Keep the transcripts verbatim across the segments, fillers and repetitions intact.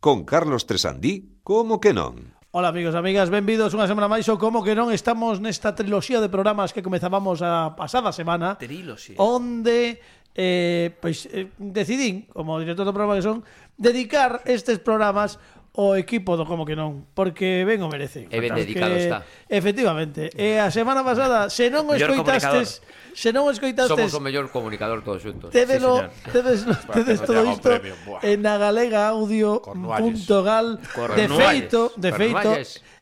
con Carlos Tresandí, como que non? Ola amigos e amigas, benvidos unha semana máis ou como que non estamos nesta triloxía de programas que comezábamos a pasada semana. Triloxía. Onde eh, pois, eh, decidín, como director do programa que son, dedicar estes programas o equipo do como que non, porque ben o merece. E ben dedicado está. Efectivamente. E a semana pasada, se non o escoitastes, se non o escoitastes, somos o mellor comunicador todos xuntos. Tedelo, sí, tedes, tedes todo isto en agalega audio punto gal. De feito, de feito,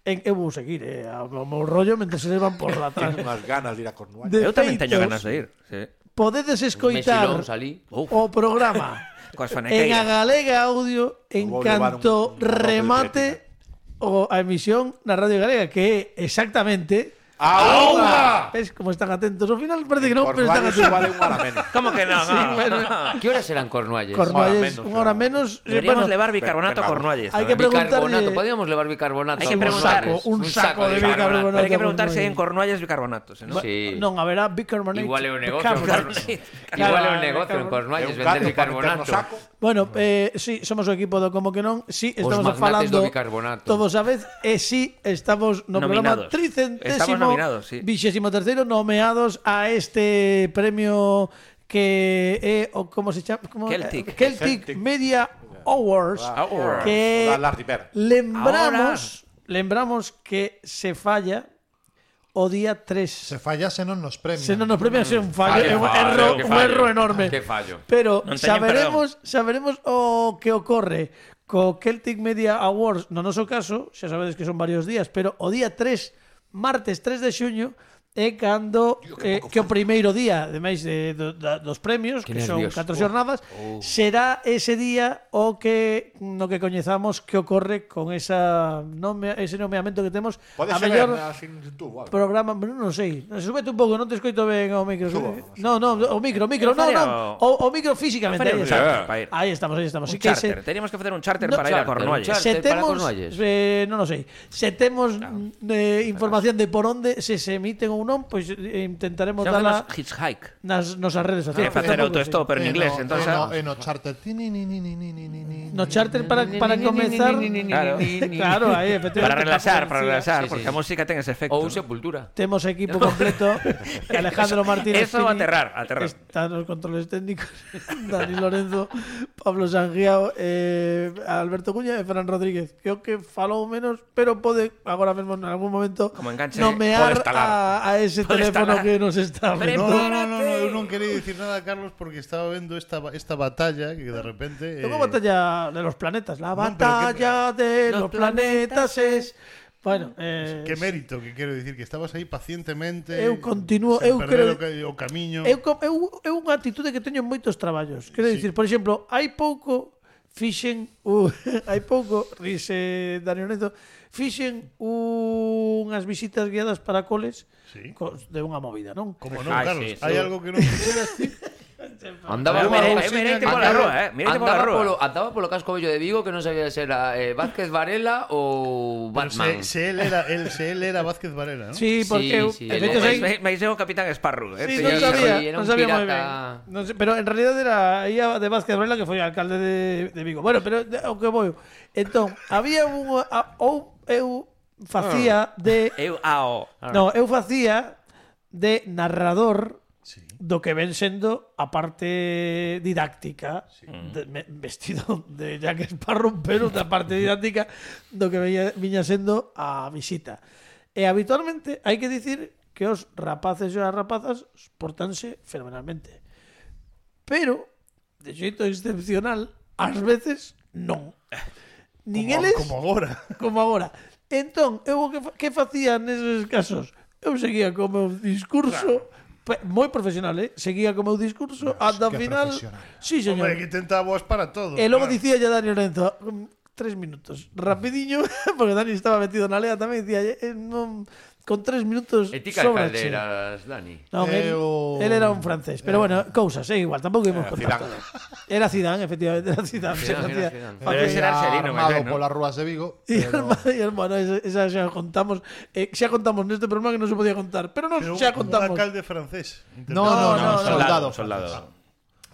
en eu vou seguir, eh, o meu rollo mentre se van por la atrás. Tengo unhas ganas de ir a Cornualles. Eu tamén teño ganas de ir, sí. Podedes escoitar o programa en a galega audio en canto remate o a emisión na Radio Galega, que é exactamente ¡Auga! ¿Ves cómo están atentos? Ao final parece que non, pero están atentos. Vale unha hora menos. ¿Cómo que non? Sí, bueno. Que horas serán Cornualles? Cornualles, unha hora menos. Deberíamos bueno, levar bicarbonato a Cornualles. Hai que preguntarle... Bicarbonato, podíamos levar bicarbonato. Hai que preguntar. Un saco, un saco de bicarbonato. Pero hai que preguntar se hai en Cornualles bicarbonato, ¿no? Sí. Non, haberá bicarbonato. Igual é un negocio. Igual é un negocio en Cornualles vender bicarbonato. Bueno, eh, sí, somos o equipo do Como que non. Sí, estamos falando todos a vez. E sí, estamos no programa tricentésimo. Estamos nominados, sí. Vigésimo terceiro nomeados a este premio que é o como se chama, como Celtic. Celtic, Celtic Media Awards, Awards. Que lembramos, Ahora... lembramos que se falla o día tres. Se falla se non nos premian. Se non nos premian é un fallo, é un erro, un erro enorme. Que fallo. Pero non saberemos, saberemos o que ocorre co Celtic Media Awards, no noso caso, xa sabedes que son varios días, pero o día tres, martes tres de xuño, é cando eh, que o primeiro día, ademais de, de, de, dos premios, que, que son catro xornadas, oh, oh. será ese día o que no que coñezamos que ocorre con esa nome, ese nomeamento que temos a mellor programa, non sei, súbete un pouco, non te escoito ben o micro. No, no, o micro, o micro, no, no, o, o micro físicamente. Aí, está. Aí estamos, aí estamos. Un charter, teníamos que facer un charter para ir a Cornualles. Se temos, eh, non o sei, se temos eh, información de por onde se se emiten ou non, pois eh, intentaremos dala hitchhike nas nosas redes sociais. Facer autostop pero en inglés, entonces en o charter. No charter para para comezar. Claro, claro, aí efectivamente. Para relaxar, para relaxar, porque a música ten ese efecto. Ou Sepultura. Temos equipo completo. Alejandro Martínez. Eso va a aterrar, aterrar. Están os controles técnicos. Dani Lorenzo, Pablo Sangiao, eh, Alberto Cuña e Fran Rodríguez. Creo que falou menos, pero pode agora mesmo en algún momento nomear a, a ese Pode teléfono que nos está vendo. No, no, no, no, eu non quería dicir nada, Carlos, porque estaba vendo esta esta batalla que de repente... É eh... unha batalla de los planetas. La batalla no, que... de los, los planetas es... Bueno, eh... que mérito, que quero dicir, que estabas aí pacientemente... Eu continuo... Eu creo o, o camiño... Eu, eu, eu unha actitude que teño en moitos traballos. Quero sí. dicir, por exemplo, hai pouco... Fixen... Uh, hai pouco... Rise Dani Lorenzo... Fixen unhas visitas guiadas para coles sí. de unha movida, non? Como non, Carlos? Sí, hai sí. algo que non fixeras ti? Andaba mirete pola rúa, eh, mirete pola rúa. Andaba polo casco vello de Vigo que non sabía se era eh, Vázquez Varela ou Batman. Se, se él era, él, se él era Vázquez Varela, ¿no? Sí, porque sí, sí, el, el, el, me, me dice o Capitán Sparrow, eh. Sí, non sabía, non sabía moi ben. No sé, pero en realidad era ella de Vázquez Varela que foi alcalde de, de Vigo. Bueno, pero o que vou. Entón, había un ou eu facía de eu ao. No, eu facía de narrador sí. do que ven sendo a parte didáctica sí. de, me, vestido de Jack Sparrow, pero da parte didáctica do que veía, viña sendo a visita. E habitualmente hai que dicir que os rapaces e as rapazas portanse fenomenalmente. Pero, de xeito excepcional, ás veces non. Nin como, eles, como agora. Como agora. Entón, eu que, que facía neses casos? Eu seguía co meu discurso claro. moi profesional, eh? Seguía co meu discurso ata o final. Sí, señor. Hombre, que tentábamos para todo. E logo claro. dicía ya Dani Lorenzo, tres minutos, rapidiño, porque Dani estaba metido na lea tamén, dicía, eh, non... con tres minutos e ti que alcalde eras, Dani? No, él, o... él era un francés, pero bueno, cousas, é igual, tampouco íbamos contar todo. Era Zidane, efectivamente, era Zidane. Zidane, Zidane, Zidane. Pero ese era Arcelino, armado polas rúas de Vigo. E pero... bueno, esa xa contamos, eh, xa contamos neste programa que non se podía contar, pero non xa contamos. Un alcalde francés. No, no, no, no, soldado, soldado.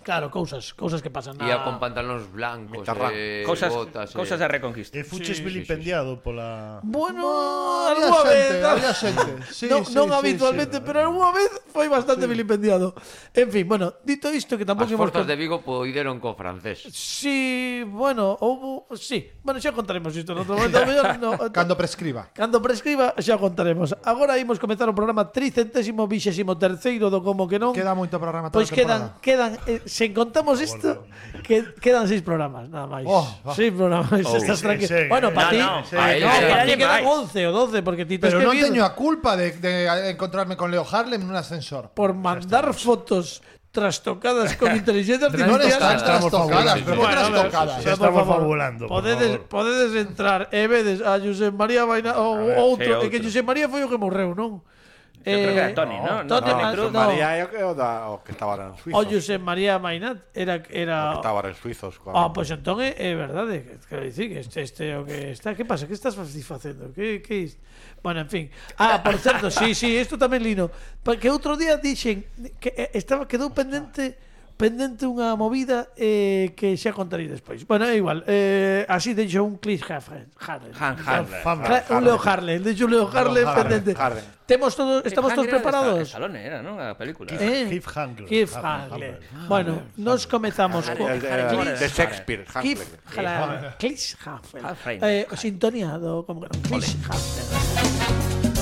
Claro, cousas, cousas que pasan na... Ía con pantalóns blancos, Mitarrán. eh, Cousas, botas, cousas eh. da Reconquista. E fuches Sí, vilipendiado pola... Bueno, Había algunha vez. xente, había xente. Sí, non, sí, non sí, habitualmente, sí. pero algunha vez foi bastante vilipendiado. En fin, bueno, dito isto que As tampouco imos... forzas de Vigo poideron co francés. Sí, bueno, houbo... Sí, bueno, xa contaremos isto no outro momento. mellor no, Cando prescriba. Cando prescriba xa contaremos. Agora imos comezar o programa tricentésimo vixésimo terceiro do Como que non. Queda moito programa toda Pois a quedan, temporada. quedan eh, sen contamos isto, que quedan seis programas, nada máis. Oh, oh. Seis programas, Oh, estás sí, tranquilo. sí, Bueno, eh. para ti, No, no, no, ahí no, sí. para ti Hay quedan máis. once o doce porque ti tes Pero que non vir teño a culpa de, de encontrarme con Leo Harlem nun ascensor. por mandar fotos trastocadas con inteligencia Non artificial. están trastocadas, pero que Bueno, a ver, trastocadas. Xa por estamos favor, fabulando, por Podedes, favor. podedes entrar e vedes a José María Vaina ou ver, outro, sí, e que outro. José María foi o que morreu, non? Eu creo que era Toni, ¿no? Toni, No, Toni ah, Cruz. no. María é o que, o da, o que estaba en Suizo. O José María Mainat era O era que estaba en Suizos. Con... Ah, pois entón é, é verdade, que- quero dicir que este, este é o que está, que pasa? Que estás facendo? Que que is? Bueno, en fin. Ah, por certo, sí, sí, isto tamén lino. Porque outro día dixen que eh, estaba quedou pendente pendente unha movida eh, que xa contarei despois. Bueno, é igual. Eh, así deixo un Chris Harlem. Han Harlem. Cla- Un Leo Harlem, deixo un Leo Harlem Harlem, pendente. Harlem. Temos todos, estamos todos preparados. Salone era, ¿no? A película. Eh? Cliffhanger. Cliffhanger. Bueno, nos comezamos co El de, Harlem. de Shakespeare. Cliff Hamlet. Harlem. Cliff Harlem. Harlem. Eh, sintoniado, como que non. Cliff Harlem.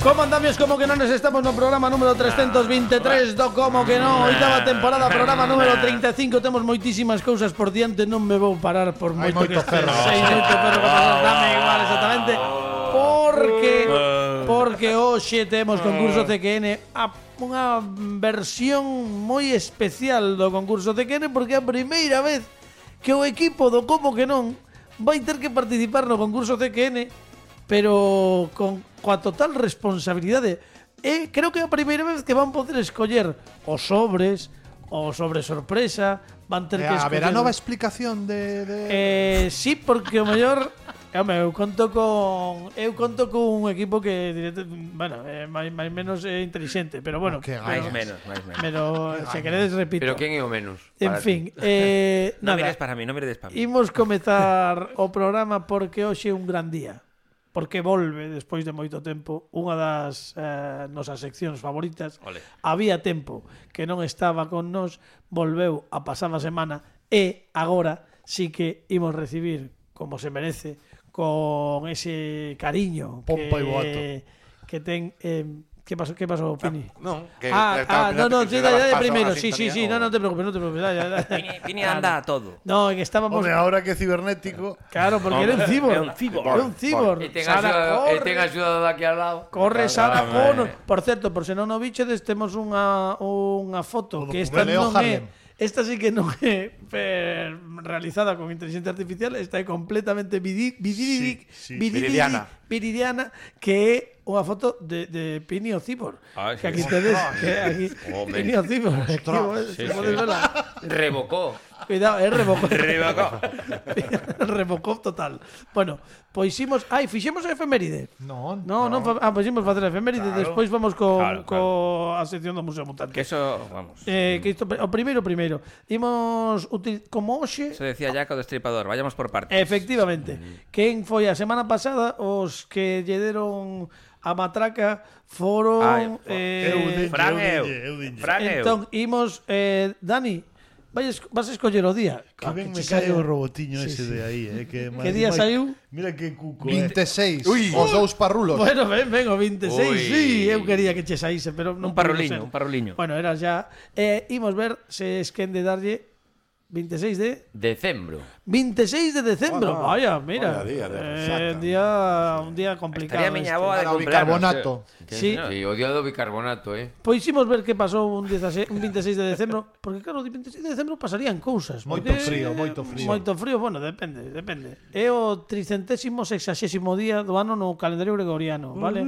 Como andamios, como que non nos estamos no programa número trescentos veintitrés do Como que non, oitava temporada, programa número treinta e cinco. Temos moitísimas cousas por diante, non me vou parar por Hai moito moito que este ferro. sei moito ferro que pasar, dame igual exactamente. Porque porque hoxe temos concurso C Q N, a, unha versión moi especial do concurso C Q N porque é a primeira vez que o equipo do Como que non vai ter que participar no concurso C Q N, pero con coa total responsabilidade. E creo que é a primeira vez que van poder escoller os sobres, o sobre sorpresa, van ter que Eh, escoller... haberá nova explicación de... de... Eh, sí, porque o mellor, home, eu conto con eu conto con un equipo que directo, bueno, é máis máis menos é inteligente, pero bueno, Que pero, Máis menos, máis menos. pero se queredes repito. Pero quen é o menos? En para fin, eh, Non nada. mires para mí, non mires para mí. Imos comezar o programa porque hoxe é un gran día. Porque volve, despois de moito tempo, unha das eh, nosas seccións favoritas. Ole. Había tempo que non estaba con nós, volveu a pasada semana e agora sí que imos recibir, como se merece, con ese cariño Pompa que, e boato. que ten... Eh, ¿Qué pasó, qué pasó, Pini? No, que Ah, estaba ah, no, no, pensando que sí, se daba dale, dale paso primero, a sí, sí, sintonía, sí, o- no, no te preocupes, no te preocupes, dale, dale. Pini, Pini anda a todo. No, que estábamos... Home, ahora que é cibernético... Claro, porque era un cibor. É un cibor. Era un cibor. E ten Sara, axuda, e corre. ten axuda daqui al lado. Corre Sara Claro, Cono. Por certo, por se non o bichedes, temos unha unha foto O que esta documento. non Leo Harlem. é esta sí que non é eh, realizada con inteligencia artificial, esta é completamente vidi, vidi, Sí, sí. vidi, Viridiana. viridiana, que é unha foto de, de Pini o Cibor. Ah, que sí. aquí tedes, que aquí Home. Pini o Cibor. Aquí, Sí, se podes sí. verla. Revocó. Cuidado, é Rebocop. Rebocop. Rebocop total. Bueno, pois imos... Ai, fixemos a efeméride. Non. No, non, fa... ah, pois imos facer a efeméride, Claro. despois vamos co, Claro, co a sección do Museo Mutante. Que eso, vamos. Eh, que isto, o primeiro, primeiro. Imos util... como hoxe, Eso decía Jaco do Destripador. Vayamos por partes. efectivamente, quen foi a semana pasada os que lle deron a matraca foron Ai, fo- eh, Eu de- Fran eu e eu. dinlle, eu dinlle. Fran e eu. entón imos eh, Dani, vai es... vas a escoller o día. Que Ah, ben che me cae saia. o robotiño Sí, ese sí. de aí, eh, que Que día saiu? Mira que cuco, eh. vinte e seis. Ui. Os dous parrulos. Bueno, ven, ven, o veintiséis, Ui. sí, eu quería que che saíse, pero non Un parruliño, puido ser. un parruliño. Bueno, era ya. Eh, imos ver se es quen de darlle veintiséis de Decembro. veintiséis de decembro. Oh, no. Vaya, mira. Vaya día de eh, resaca. un día un día complicado. Estaría miña este. boa de Para o cumpleanos. bicarbonato. Sí. Sí, o día do bicarbonato, eh. Pois imos ver que pasou un, dieciséis, un veintiséis de decembro, porque claro, o veintiséis de decembro pasarían cousas. Moito porque- frío, moito frío. Moito frío, bueno, depende, depende. É o tricentésimo sexagésimo día do ano no calendario gregoriano, vale?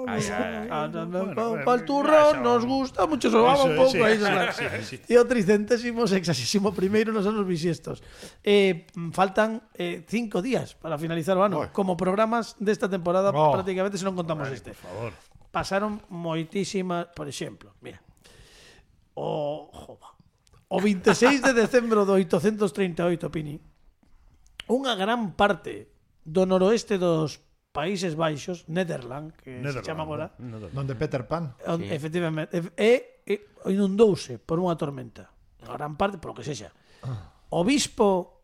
Ay, ay, ay. Ah, no, no, bueno, pa- bueno, el turrón ya nos sabemos. gusta mucho, sobaba Eso, un pouco sí, aí. sí, claro. sí, sí. E o tricentésimo sexagésimo primeiro nos anos bisiestos. Eh, faltan eh, cinco días para finalizar o ano. Oi. Como programas desta temporada, Oh. prácticamente se non contamos este. Por favor. Pasaron moitísimas, por exemplo, mira. O, jova, o veintiséis de decembro de oitocentos treinta e oito, Pini, unha gran parte do noroeste dos Países Baixos, Netherland, que se chama agora, Donde Peter Pan. on, efectivamente, e, e, e inundouse por unha tormenta. A gran parte, polo que sexa. O bispo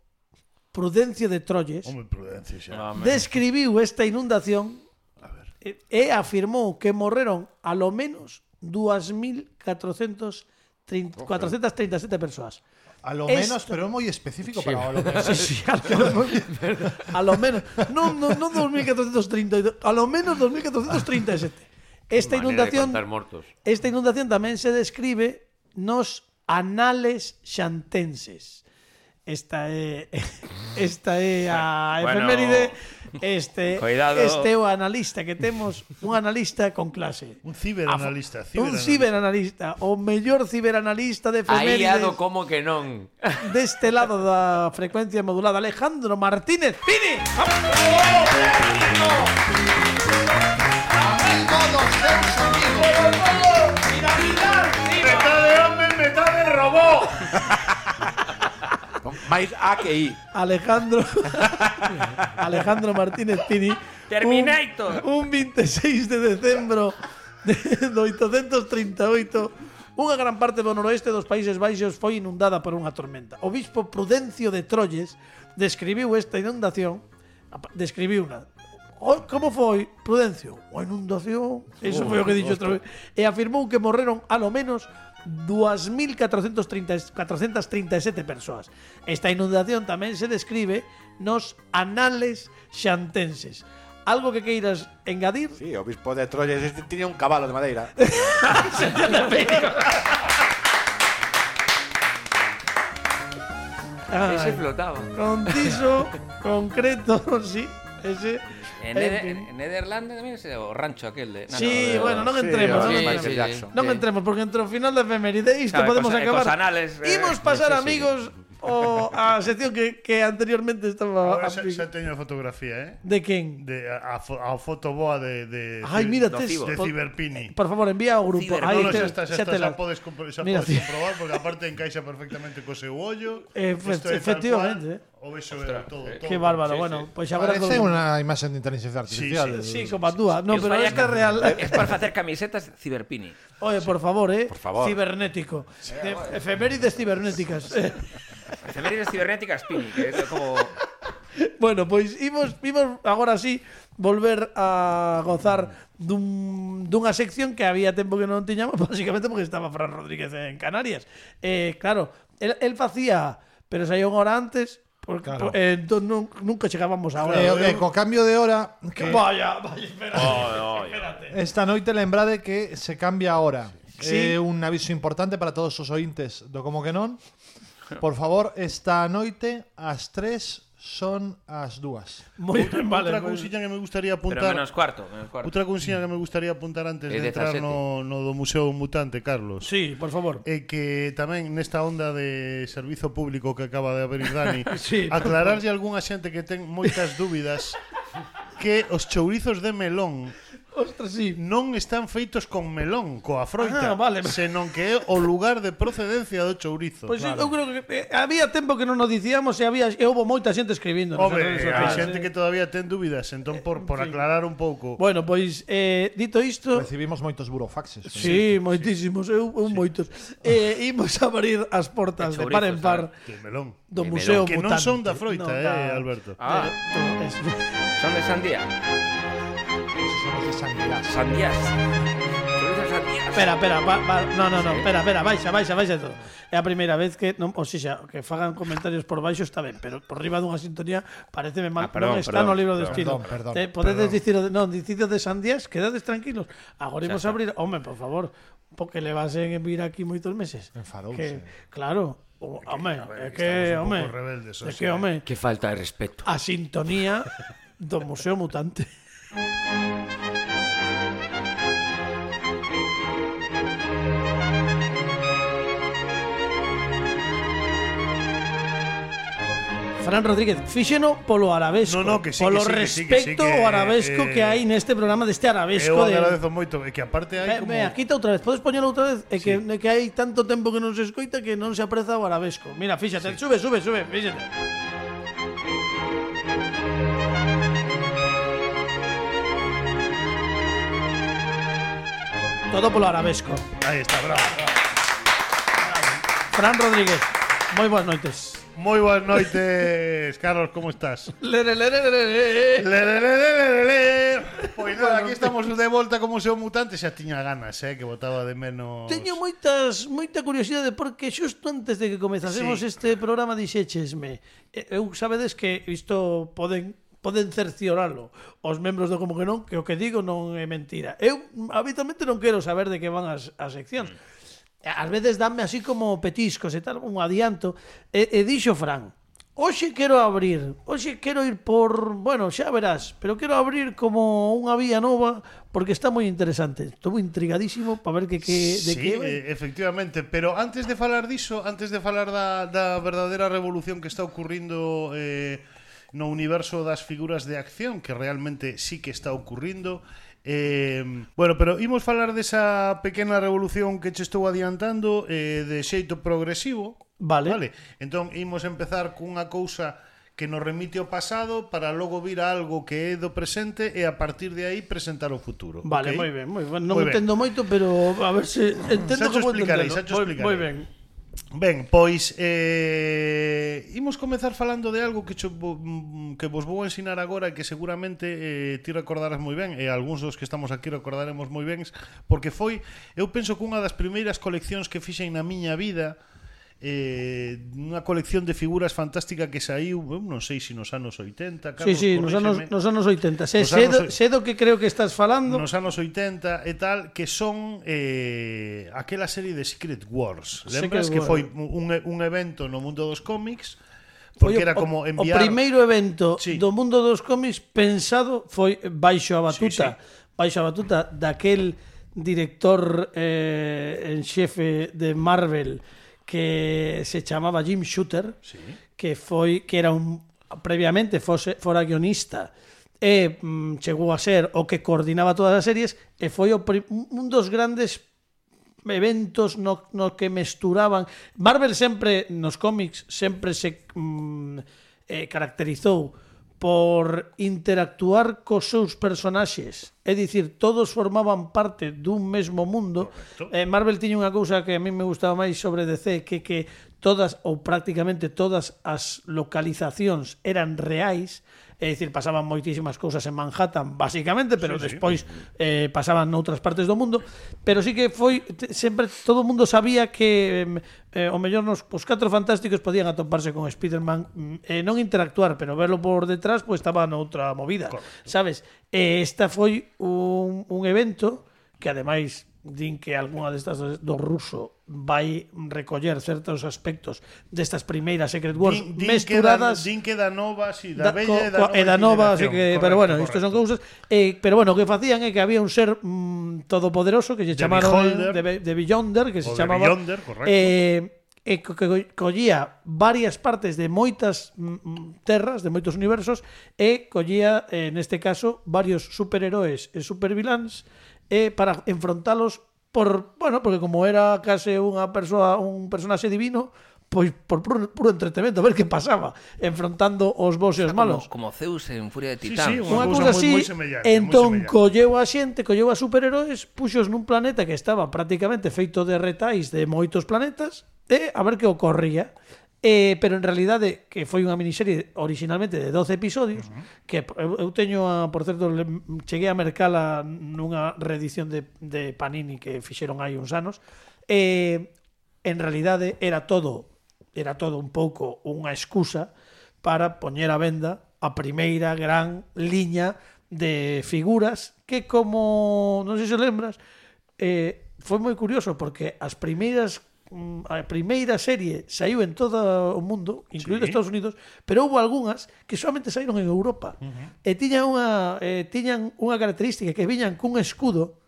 Prudencio de Troyes Home, prudencia xa. Home. describiu esta inundación e, e afirmou que morreron a lo menos dous mil catrocentos treinta e sete persoas. A lo Esto- menos, pero é moi específico para o lo menos. Sí, sí, a lo menos, a lo menos non no, no dos mil catrocentos trinta e dos, a lo menos dos mil catrocentos trinta e sete. Esta Manera de inundación contar mortos. Esta inundación tamén se describe nos Anales Xantenses. Esta é esta é a Bueno, efeméride. Este cuidado. este é o analista que temos, un analista con clase. Un ciberanalista. Un ciberanalista, o mellor ciberanalista de Aí efemérides ado como que non. deste lado da frecuencia modulada, Alejandro Martínez Pini. Amigo dos seus amigos. Metade home, metade robot. Mais A que I. Alejandro Alejandro Martínez Pini. Terminator. Un, un veintiséis de decembro de, de oitocentos treinta e oito, unha gran parte do noroeste dos Países Baixos foi inundada por unha tormenta. O bispo Prudencio de Troyes describiu esta inundación, describiu-na. O, como foi, Prudencio? A inundación, eso foi o que dixo outra vez, e afirmou que morreron a lo menos dos mil catrocentos treinta e sete persoas. Esta inundación tamén se describe nos Anales Xantenses. Algo que queiras engadir? Sí, o bispo de Troyes este tiña un cabalo de madeira. Ai, Ese flotaba. Conciso, concreto, sí, ese. En, En Neder- fin. en Nederlanda tamén é o rancho aquel de... No, Sí, no, bueno, non sí, entremos, sí, non sí, entremos. Michael Jackson. Non entremos, porque entre o final da efeméride isto Claro, podemos cos- acabar. cos anales, eh, Imos pasar, sí, sí. amigos, o a sección que, que anteriormente estaba... Ahora xa, xa teño a fotografía, eh? De quen? De, a, a, fo- a fotoboa de, de, Ai, mira, do tes, Cibo. de por, Ciberpini. por favor, envía ao grupo. Ciber- Aí No, no, te- xa está, xa, xa está, te la- xa podes, compro- xa Mira, podes sí. comprobar, porque aparte encaixa perfectamente co seu ollo. Efe- Isto é tal efectivamente, cual, O vexo é todo, todo. Qué bárbaro, Sí, bueno, sí. pois agora... Parece unha imaxe de inteligencia artificial. Sí, como a túa. No, Que os pero falla esta é ca- real. Es para facer camisetas Ciberpini. Oye, por favor, eh. Por favor. Cibernético. De- efemérides cibernéticas. Efemérides cibernéticas Pini, que é como... Bueno, pois imos, imos agora sí volver a gozar dun, dunha sección que había tempo que non tiñamos, básicamente porque estaba Fran Rodríguez en Canarias. Eh, claro, el, el facía, pero saía unha hora antes, porque Claro. por, eh, entón nun, nunca chegábamos a hora. E, e co cambio de hora Que que vaya, vaya, espérate. espérate. esta noite lembrade que se cambia a hora. Sí. É un aviso importante para todos os ointes do Como que non. Por favor, esta noite ás tres son as dúas. Moi ben, vale. Outra moi ben. cousiña que me gustaría Pero apuntar. menos cuarto, menos cuarto. Outra cousiña que me gustaría apuntar antes É de entrar dezasete. no, no do Museo Mutante, Carlos. Sí, por favor. É que tamén nesta onda de servizo público que acaba de abrir Dani, Sí, por aclararlle a algunha xente que ten moitas dúbidas que os chourizos de melón Ostras, sí. non están feitos con melón, coa froita, Ah, vale. senón que é o lugar de procedencia do chourizo. Pois eu creo que eh, había tempo que non nos dicíamos e había e houbo moita xente escribindo. nas Home, redes hai sociais, xente eh. que todavía ten dúbidas, entón por, por aclarar un pouco. Bueno, pois eh, dito isto, Recibimos moitos burofaxes. sí, moitísimos, eu, eu moitos. Eh, imos a abrir as portas de De par en par De melón. do De Museo Que Mutante. non son da froita, Non, eh, da- Alberto. Ah, de- es- son de sandía. Esos son os de sangría. Sandías. Chorizos sandía. Espera, espera, va, va, no, no, no, espera, espera, baixa, baixa, baixa todo. É a primeira vez que, non, o sea, que fagan comentarios por baixo está ben, pero por riba dunha sintonía pareceme mal. Ah, perdón, non está perdón, no libro de perdón, estilo. perdón, eh, podedes perdón. dicir, o de- non, dicido de Sandías, quedades tranquilos. Agora imos a abrir, home, por favor, porque le vas en vir aquí moitos meses. Enfadouse. Que, claro, o, home, é que que, estamos un home, pouco rebeldes, o é sea. que, home, Que falta de respeto. a sintonía do Museo Mutante. Fran Rodríguez, fíxeno polo arabesco, No, no, que sí, polo que sí, que sí, que sí, respecto que, ao arabesco eh, que hai neste programa deste arabesco Eu de... agradezo moito, e que aparte hai Ve, como... ve, quita outra vez, podes poñelo outra vez? É que, é que hai tanto tempo que non se escoita que non se apreza o arabesco. Mira, fíxate, sube, sube, sube, fíxate. Todo polo arabesco. Aí está, bravo. Fran Rodríguez, moi boas noites. Moi boas noites, Carlos, como estás? Lere, lere, lere, lere. Le, le, le, le, le, le. Pois nada, aquí estamos de volta como Museo Mutante. Xa tiña ganas, eh, que botaba de menos... Teño moitas moita curiosidade porque xusto antes de que comezásemos Sí. este programa dixéchesme, eh, eu sabedes que isto poden poden cercioralo os membros do Como que non, que o que digo non é mentira. Eu habitualmente non quero saber de que van as, as seccións. Ás veces danme así como petiscos e tal, un adianto. E, e dixo Fran, hoxe quero abrir, hoxe quero ir por, bueno, xa verás, pero quero abrir como unha vía nova porque está moi interesante. Estou intrigadísimo para ver que, que de sí, que vai. eh, efectivamente, pero antes de falar diso, antes de falar da, da verdadeira revolución que está ocurrindo eh, no universo das figuras de acción, que realmente sí que está ocurrindo, eh, bueno, pero imos falar desa pequena revolución que che estou adiantando eh, de xeito progresivo. Vale. Vale. Entón imos empezar cunha cousa que nos remite ao pasado para logo vir a algo que é do presente e a partir de aí presentar o futuro. Vale, ¿ok? moi ben, moi ben. Non Moi ben. entendo moito, pero a ver se entendo Xa cho como explicarei, entendo. xa cho Moi, explicarei. moi ben. Ben, pois eh, imos comezar falando de algo que, cho, que vos vou ensinar agora e que seguramente eh, ti recordarás moi ben e algúns dos que estamos aquí recordaremos moi ben porque foi, eu penso que unha das primeiras coleccións que fixen na miña vida eh, unha colección de figuras fantástica que saiu, eu non sei se nos anos oitenta, Sí, Carlos, sí, nos anos, corríxeme. nos anos oitenta. Se, Nos sedo, anos oi- sedo que creo que estás falando. Nos anos oitenta e tal, que son eh, aquela serie de Secret Wars. Lembras Secret que foi Wars. un, un evento no mundo dos cómics Foi porque o- era como o, enviar... o primeiro evento Sí. do mundo dos cómics pensado foi baixo a batuta, Sí, sí. baixo a batuta daquel director eh, en xefe de Marvel que se chamaba Jim Shooter, Sí. que foi que era un previamente fose, fora guionista e mm, chegou a ser o que coordinaba todas as series e foi o pri- un dos grandes eventos no, no que mesturaban. Marvel sempre nos cómics sempre se mm, eh, caracterizou por interactuar cos seus personaxes, é dicir, todos formaban parte dun mesmo mundo. Eh, Marvel tiña unha cousa que a mí me gustaba máis sobre D C, que que todas ou prácticamente todas as localizacións eran reais, é dicir, pasaban moitísimas cousas en Manhattan, basicamente, pero Sí, sí. despois eh, pasaban noutras partes do mundo, pero sí que foi te- sempre todo o mundo sabía que eh, o mellor nos os catro fantásticos podían atoparse con Spider-Man mm, e non interactuar, pero verlo por detrás pues estaba noutra movida, Correcto. sabes? E esta foi un, un evento que ademais din que algunha destas do ruso vai recoller certos aspectos destas primeiras Secret Wars Din, din mesturadas que da, din que da nova, si, da, da, bella e da co, nova e da nova, así generación. que, Correcto, pero bueno, isto son correcto. cousas eh, pero bueno, o que facían é que había un ser mm, todopoderoso que se The chamaron Beholder. de, Be- de Beyonder, que se O The chamaba Beyonder, correcto. eh, e co- que collía varias partes de moitas mm, terras, de moitos universos e collía, eh, neste caso, varios superheróis e superviláns e para enfrontalos por, bueno, porque como era case unha persoa, un personaxe divino, pois por puro, puro entretenimento, a ver que pasaba enfrontando os bons e os malos. Como, como Zeus en Furia de Sí, Titán. sí, Unha cousa cousa moi- así, moi semellante, entón moi semellante. colleu a xente, colleu a superheróis, puxos nun planeta que estaba prácticamente feito de retais de moitos planetas e a ver que ocorría. Eh, pero en realidade que foi unha miniserie originalmente de doce episodios, uh-huh. que eu, eu teño, a, por certo, le, cheguei a mercala nunha reedición de, de Panini que fixeron hai uns anos. Eh, en realidade era todo era todo un pouco unha excusa para poñer a venda a primeira gran liña de figuras que, como non sei se lembras, eh, foi moi curioso porque as primeiras a primeira serie saiu en todo o mundo, incluído sí. Estados Unidos, pero houve algunhas que solamente saíron en Europa. Uh-huh. E tiñan unha eh, tiñan unha característica que viñan cun escudo.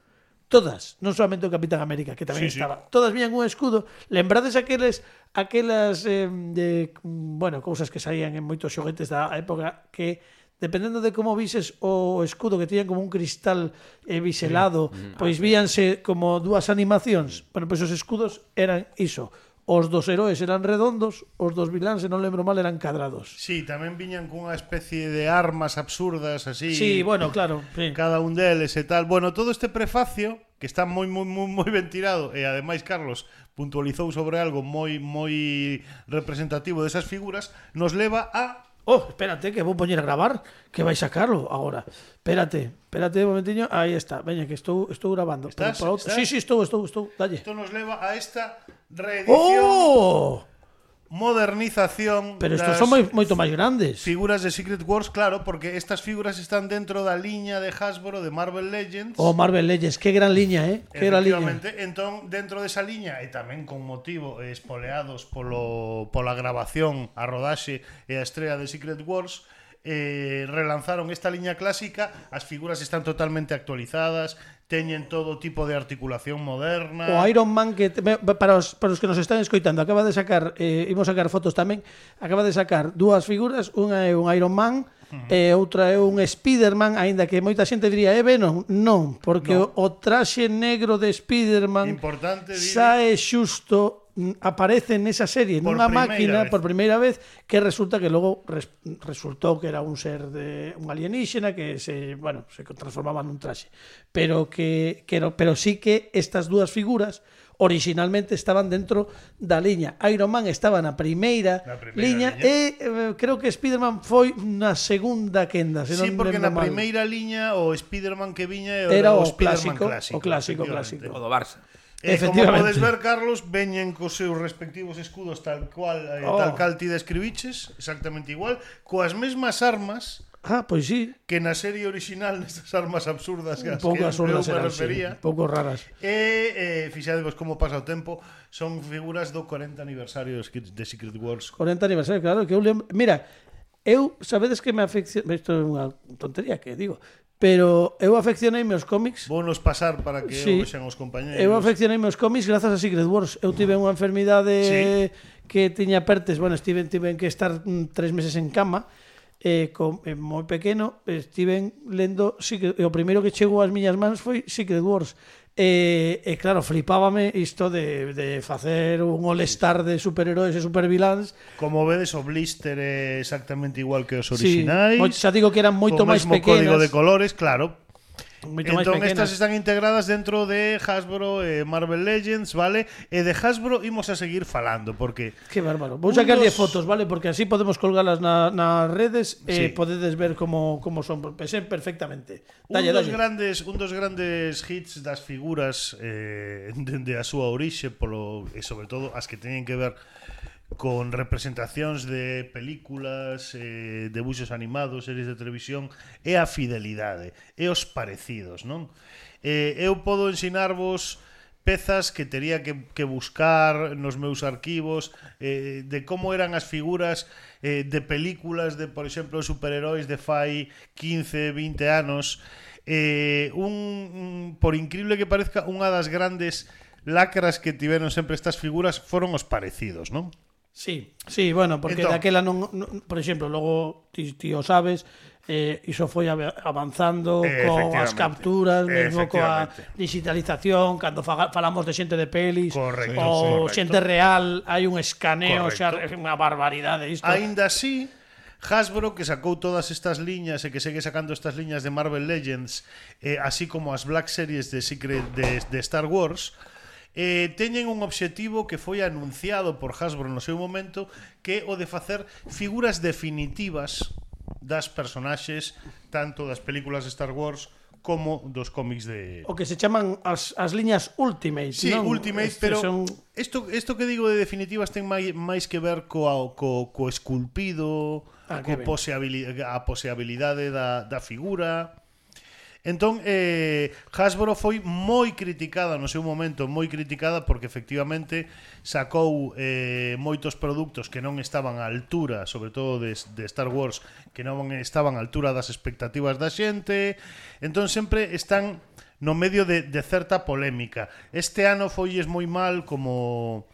Todas, non solamente o Capitán América, que tamén sí, estaba. Sí. Todas viñan un escudo. Lembrades aqueles aquelas eh, de, bueno, cousas que saían en moitos xoguetes da época que dependendo de como vises o escudo que tiñan como un cristal eh, biselado, sí. pois víanse como dúas animacións. Bueno, pois os escudos eran iso. Os dos heróis eran redondos, os dos viláns, se non lembro mal, eran cadrados. Sí, tamén viñan cunha especie de armas absurdas así. Sí, bueno, claro. Sí. Cada un deles e tal. Bueno, todo este prefacio que está moi moi moi moi ben tirado e ademais Carlos puntualizou sobre algo moi moi representativo desas figuras, nos leva a Oh, espérate, que vou poñer a gravar, que vai sacarlo agora. Espérate, espérate un momentiño. Aí está, veña, que estou estou grabando. Estás? Pero, pero, sí, sí, estou, estou, estou. Dalle. Isto nos leva a esta reedición. ¡Oh! Modernización. Pero estos son moi, moito máis grandes. Figuras de Secret Wars, claro, porque estas figuras están dentro da liña de Hasbro de Marvel Legends. Oh, Marvel Legends, que gran liña, eh? Que gran liña. Entón, dentro desa liña, e tamén con motivo espoleados polo, pola grabación, a rodaxe e a estrela de Secret Wars, eh, relanzaron esta liña clásica. As figuras están totalmente actualizadas, teñen todo tipo de articulación moderna. O Iron Man, que para os, para os que nos están escoitando, acaba de sacar, eh, imos sacar fotos tamén, acaba de sacar dúas figuras, unha é un Iron Man, uh-huh. e outra é un Spider-Man, aínda que moita xente diría, é Venom, non, porque no. o, o traxe negro de Spider-Man importante, sae xusto, aparece nesa serie nunha máquina vez. por primeira vez, que resulta que logo res, resultou que era un ser de un alienígena que se, bueno, se transformaba nun traxe, pero que, que no, pero sí que estas dúas figuras originalmente estaban dentro da liña. Iron Man estaba na primeira, primeira liña, liña e eh, creo que Spider-Man foi na segunda quenda, se sí, non porque na mal. primeira liña o Spider-Man que viña era, era o, o Spider-Man clásico, clásico, o clásico, clásico. O do Barça. E como podes ver, Carlos, veñen cos seus respectivos escudos tal cual, eh, oh. tal cal ti describiches, exactamente igual, coas mesmas armas. Ah, pois sí. Que na serie original nestas armas absurdas que un pouco absurdas eu me eran, refería. Sí, un pouco raras. E eh, fixadevos como pasa o tempo, son figuras do corenta aniversario de Secret Wars. corenta aniversario, claro, que eu lembro. Mira, eu sabedes que me afecciono, isto é unha tontería que digo, pero eu afeccionei meus cómics. Vounos pasar para que sí, eu vexan os compañeros. Eu afeccionei meus cómics grazas a Secret Wars. Eu tive unha enfermidade sí. que tiña pertes, bueno, estive tiven que estar tres meses en cama. Eh, con, eh, moi pequeno estiven lendo Secret, e o primeiro que chegou ás miñas mans foi Secret Wars e, e claro, flipábame isto de, de facer un all-star de superheróis e superviláns. Como vedes, o blister é exactamente igual que os originais, sí, xa digo que eran moito máis pequenas, código de colores, claro. Moito entón estas están integradas dentro de Hasbro e eh, Marvel Legends, vale? E de Hasbro imos a seguir falando porque que bárbaro. Vou sacarlle dos... fotos, vale? Porque así podemos colgalas na, nas redes e sí. podedes ver como, como son, pensé perfectamente. Dalle, un dos dalle. grandes un dos grandes hits das figuras eh, dende a súa orixe polo e sobre todo as que teñen que ver con representacións de películas, eh, debuxos animados, series de televisión, e a fidelidade, e os parecidos, non? Eh, eu podo ensinarvos pezas que tería que, que buscar nos meus arquivos eh, de como eran as figuras eh, de películas de, por exemplo, superheróis de fai quince, vinte anos. Eh, un, un, por increíble que parezca, unha das grandes lacras que tiveron sempre estas figuras foron os parecidos, non? Sí, sí, bueno, porque entón, daquela non, non, por exemplo, logo ti, ti o sabes, eh, iso foi avanzando eh, coas capturas, mesmo coa digitalización, cando falamos de xente de pelis, correcto, ou correcto. xente real, hai un escaneo, xa é unha barbaridade isto. Aínda así, Hasbro, que sacou todas estas liñas e que segue sacando estas liñas de Marvel Legends, eh, así como as Black Series de Secret de, de Star Wars, eh, teñen un obxectivo que foi anunciado por Hasbro no seu momento, que é o de facer figuras definitivas das personaxes tanto das películas de Star Wars como dos cómics de... O que se chaman as, as liñas Ultimate, Sí, non? Ultimate, Estes pero son... isto, isto que digo de definitivas ten máis, máis que ver coa, co, co esculpido, Ah, co que ben. poseabilidade, a poseabilidade da, da figura. Entón, eh, Hasbro foi moi criticada no seu momento, moi criticada porque efectivamente sacou eh, moitos produtos que non estaban á altura, sobre todo de, de Star Wars, que non estaban á altura das expectativas da xente. Entón sempre están no medio de, de certa polémica. Este ano foilles moi mal como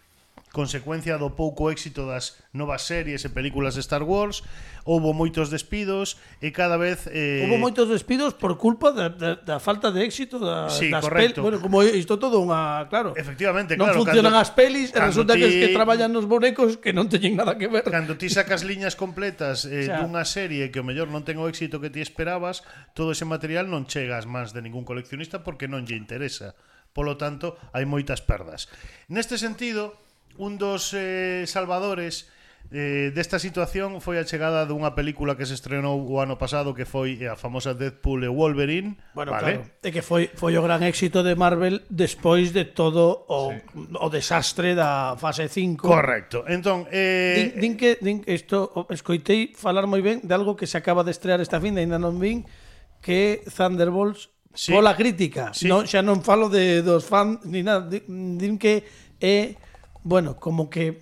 consecuencia do pouco éxito das novas series e películas de Star Wars. Houbo moitos despidos e cada vez eh... Hubo moitos despidos por culpa da, da, da falta de éxito da, Sí, das correcto. pelis. Bueno, como isto todo unha, claro. Efectivamente, non claro, funcionan cando- as pelis e cando resulta que, ti- es que traballan nos bonecos que non teñen nada que ver. Cando ti sacas liñas completas eh, O sea, dunha serie que o mellor non ten o éxito que ti esperabas, todo ese material non chega ás mans de ningún coleccionista porque non lle interesa. Polo tanto, hai moitas perdas. Neste sentido, un dos eh, salvadores eh, desta situación foi a chegada dunha película que se estrenou o ano pasado, que foi a famosa Deadpool e Wolverine. Bueno, vale? claro, é que foi foi o gran éxito de Marvel despois de todo o, sí. o desastre da fase cinco. Correcto. Entón, eh, Din, din que din isto o- escoitei falar moi ben de algo que se acaba de estrear esta fin, ainda non vin, que é Thunderbolts. Sí. Pola crítica, Sí. non, xa non falo de dos fans ni nada, din, din que é, bueno, como que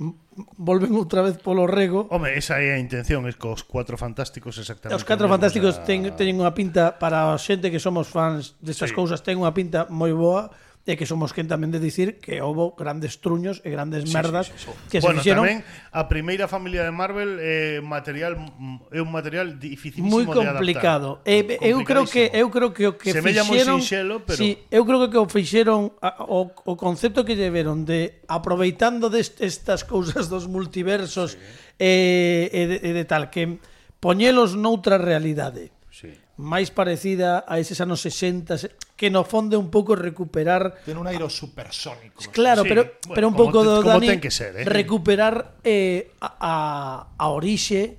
volven outra vez polo rego. home, esa é a intención, es cos Cuatro Fantásticos exactamente. Os Catro o mesmo, Fantásticos o sea, ten, teñen unha pinta para a xente que somos fans destas Sí. cousas, ten unha pinta moi boa, e que somos quen tamén de dicir que houbo grandes truños e grandes Sí, merdas sí, sí, sí. que Bueno, se fixeron tamén a primeira familia de Marvel é material mm, é un material dificilísimo moi de complicado. adaptar. E, eu creo que eu creo que o que Semella moi fixeron, sinxelo, pero- sí, eu creo que o fixeron a- o, o concepto que lle veron de aproveitando destas cousas dos multiversos sí. e, e, de, e de tal que poñelos noutra realidade. Sí. máis parecida a eses anos sesenta, que no fondo é un pouco recuperar. Ten un airo supersónico. Claro, Sí, pero bueno, pero un como pouco te- do como Dani ten que ser, eh? recuperar eh, a, a, a orixe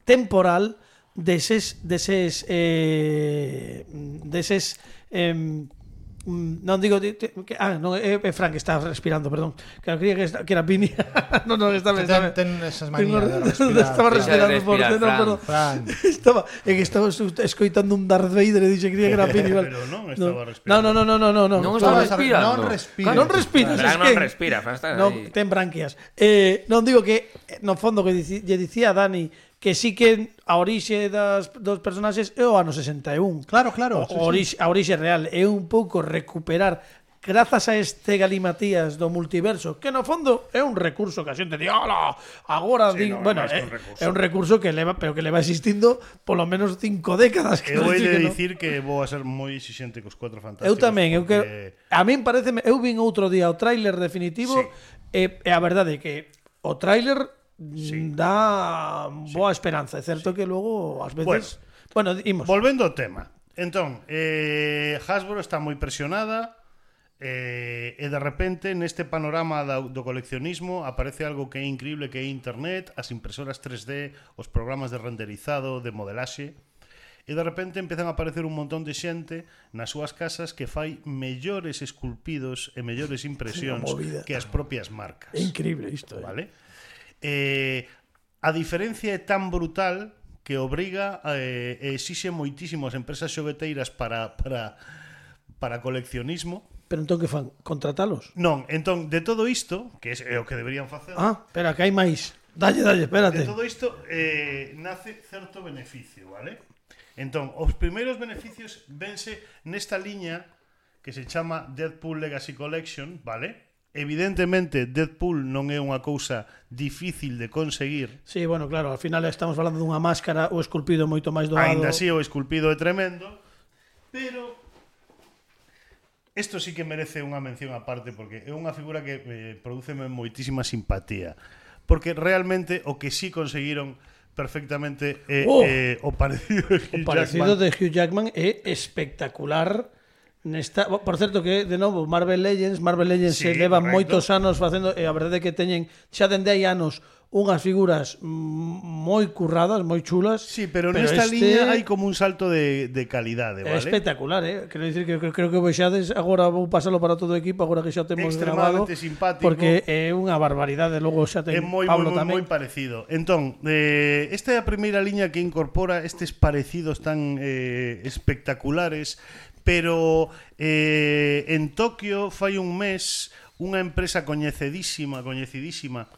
temporal deses deses eh, deses eh, non digo que, ah, non, é, é Frank que está respirando, perdón. Que creía que, está, que era Pini. non, non, está ben, está ben. Ten, ten esas manías de respirar. Estaba Deixa de respirando por respirar, dentro, Fran. perdón. Fran. Estaba, é que estaba escoitando un Darth Vader e dixe que creía que era Pini. Vale. Pero non estaba No, respirando. no, no, no, no, no. Non Estaba- estaba respirando. Non respira. Non respiras, Fran es non que respira, Fran está non, aí. ten branquias. Eh, non digo que no fondo que dici, lle dicía a Dani que sí que a orixe das dos personaxes é o ano sesenta e un. Claro, claro. O, sí, orixe, a orixe real é un pouco recuperar grazas a este galimatías do multiverso, que no fondo é un recurso que a xente di, "Ola, agora Sí, din", no, bueno, é máis que é, un recurso. é un recurso que leva, pero que leva existindo polo menos cinco décadas, que Eu non vou sei que non. dicir que vou a ser moi exixente cos Cuatro Fantásticos. Eu tamén, eu que porque- a min parece, eu vin outro día o tráiler definitivo Sí. e, e a verdade é que o tráiler Sí. dá boa esperanza, é certo que logo ás veces, bueno, imos. Volvendo ao tema. Entón, eh, Hasbro está moi presionada eh, e de repente neste panorama do, do coleccionismo aparece algo que é increíble, que é internet, as impresoras tres D, os programas de renderizado, de modelaxe, e de repente empezan a aparecer un montón de xente nas súas casas que fai mellores esculpidos e mellores impresións movida. que as propias marcas. É increíble isto, eh. Vale? Eh, a diferencia é tan brutal que obriga eh, e exixe moitísimo as empresas xogueteiras para, para, para coleccionismo. Pero entón que fan? Contratalos? Non, entón, de todo isto, que é o que deberían facer, Ah, espera, que hai máis. Dalle, dalle, espérate. de todo isto eh, nace certo beneficio, vale? Entón, os primeiros beneficios vense nesta liña que se chama Deadpool Legacy Collection, vale? Evidentemente, Deadpool non é unha cousa difícil de conseguir. Sí, bueno, claro, al final estamos falando dunha máscara, o esculpido moito máis doado. Ainda así o esculpido é tremendo, pero isto sí que merece unha mención aparte porque é unha figura que eh, prodúceme moitísima simpatía, porque realmente o que sí conseguiron perfectamente é Oh, eh, o parecido de Hugh O parecido Jackman. de Hugh Jackman é espectacular Nesta, por certo que de novo Marvel Legends, Marvel Legends Sí, se leva correcto. moitos anos facendo e a verdade é que teñen xa dende hai anos unhas figuras mm, moi curradas, moi chulas. Sí, pero, pero nesta este liña hai como un salto de, de calidade, é vale? espectacular, eh? Quero dicir que creo, creo que vexades agora vou pasalo para todo o equipo, agora que xa temos grabado, Extremadamente simpático. porque é unha barbaridade, logo xa É ten moi, Pablo moi, moi, tamén. moi parecido. Entón, eh, esta é a primeira liña que incorpora estes parecidos tan eh, espectaculares, pero eh, en Tokio fai un mes unha empresa coñecidísima, coñecidísima,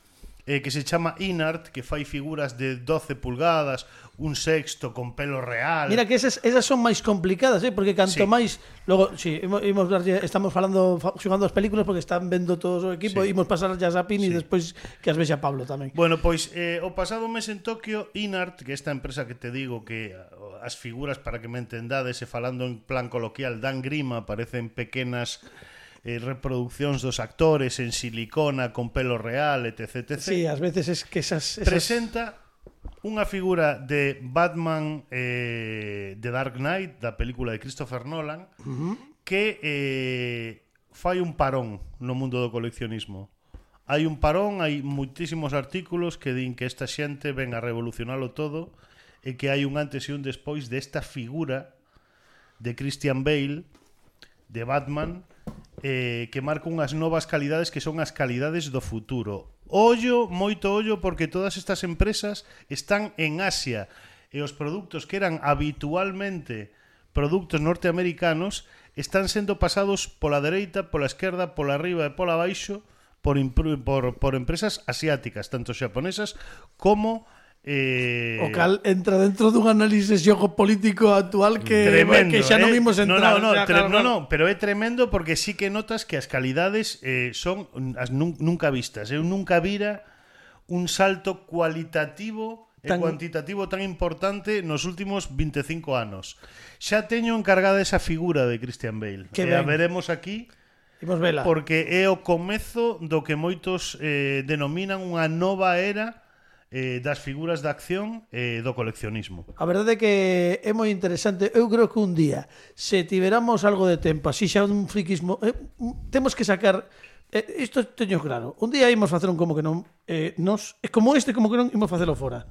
eh, que se chama Inart, que fai figuras de doce pulgadas, un sexto con pelo real. Mira que esas, esas son máis complicadas, eh? Porque canto Sí. máis logo, si, sí, imos, imos darlle- estamos falando fa- xogando as películas porque están vendo todos o equipo, Sí. imos pasar ya a Pini Sí. e despois que as vexa Pablo tamén. Bueno, pois eh, o pasado mes en Tokio, Inart, que esta empresa que te digo que ah, as figuras, para que me entendades, e falando en plan coloquial, dan grima, parecen pequenas eh, reproduccións dos actores en silicona, con pelo real, etc, etcétera. Sí, ás veces es que esas, esas... Presenta unha figura de Batman eh, de Dark Knight, da película de Christopher Nolan, uh-huh. que eh, fai un parón no mundo do coleccionismo. Hai un parón, hai moitísimos artículos que din que esta xente ven a revolucionalo todo e que hai un antes e un despois desta figura de Christian Bale, de Batman, eh, que marca unhas novas calidades que son as calidades do futuro. Ollo, moito ollo, porque todas estas empresas están en Asia e os produtos que eran habitualmente produtos norteamericanos están sendo pasados pola dereita, pola esquerda, pola arriba e pola baixo por, por, por empresas asiáticas, tanto xaponesas como Eh... O cal entra dentro dun análisis xeopolítico actual que, tremendo, que xa non eh? imos entrar. No, no, no, o sea, tre- claro, no, claro. no, pero é tremendo porque sí que notas que as calidades eh, son as nun, nunca vistas. Eu nunca vira un salto cualitativo e Tan- cuantitativo tan importante nos últimos veinticinco anos. Xa teño encargada esa figura de Christian Bale. Que E a ben. veremos aquí Imos vela. porque é o comezo do que moitos eh, denominan unha nova era eh, das figuras de acción e eh, do coleccionismo. A verdade é que é moi interesante. Eu creo que un día, se tiveramos algo de tempo, así xa un friquismo, eh, temos que sacar eh, isto teño claro. Un día imos facer un como que non, eh, nos, eh, como este como que non imos facelo fora.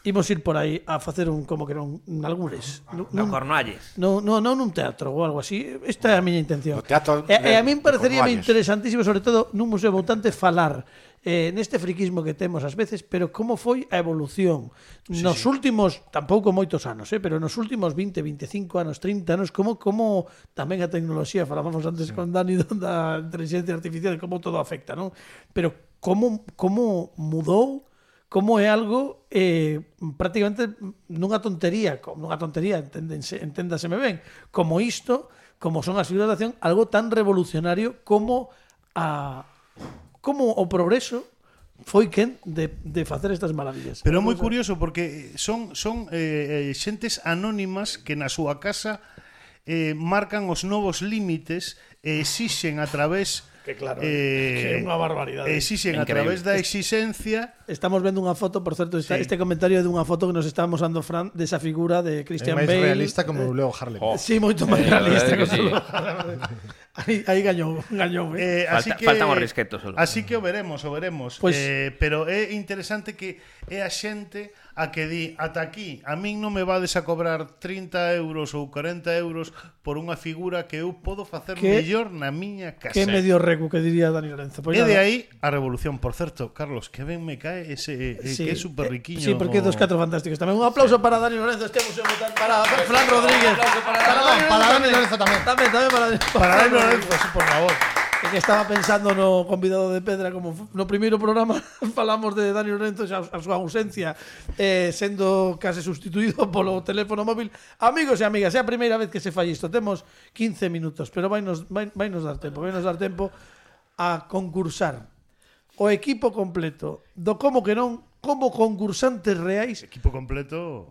Imos ir por aí a facer un como que non, nalgures. No Cornualles. No, no, non nun teatro ou algo así. Esta é a miña intención. No teatro E, e a de- min de parecería Cornualles. interesantísimo, sobre todo nun museo votante, falar eh, neste friquismo que temos ás veces, pero como foi a evolución nos últimos, tampouco moitos anos, eh, pero nos últimos vinte, veinticinco anos, trinta anos, como como tamén a tecnoloxía, falábamos antes con Dani da inteligencia artificial, como todo afecta, non? Pero como como mudou, como é algo eh, prácticamente nunha tontería, como nunha tontería, enténdense, enténdaseme ben, como isto, como son as figuras de acción, algo tan revolucionario como a como o progreso foi quen de, de facer estas maravillas. Pero é moi curioso porque son son eh, eh, xentes anónimas que na súa casa eh, marcan os novos límites e exixen a través Que claro, que eh, é unha barbaridade. exixen a Increíble. través da exigencia. Estamos vendo unha foto, por certo, esta, Sí. este comentario é dunha foto que nos está mosando Fran desa figura de É Christian máis Bale. realista como o Leo Harlem. Oh. Sí, moito máis Eh, realista. la verdade que que sí. aí, aí gañou, gañou. Eh. Eh, así Falta- que, faltan os risquetos solo. Así que o veremos, o veremos. Pois- eh, pero é interesante que é a xente a que di ata aquí, a min non me vades a cobrar trinta euros ou cuarenta euros por unha figura que eu podo facer Que- mellor na miña casa. Que medio recu que diría Dani Lorenzo. Pois E de nada. aí a revolución, por certo, Carlos, que ben me cae ese eh, Sí, que é super eh, riquiño. Sí, porque dos catro fantásticos tamén. Un aplauso para Dani Lorenzo, este museo votante, para Fran Rodríguez. para Dani para Dani Lorenzo tamén. Tamén, tamén para para Dani Lorenzo, sí, por favor. É que estaba pensando no convidado de Pedra, como fu- no primeiro programa falamos de Dani Lorenzo e a, a súa ausencia eh, sendo case sustituído polo teléfono móvil. Amigos e amigas, é a primeira vez que se fai isto. Temos quince minutos, pero vai nos, vai, vai nos dar tempo, vai nos dar tempo a concursar o equipo completo do como que non, como concursantes reais Equipo completo.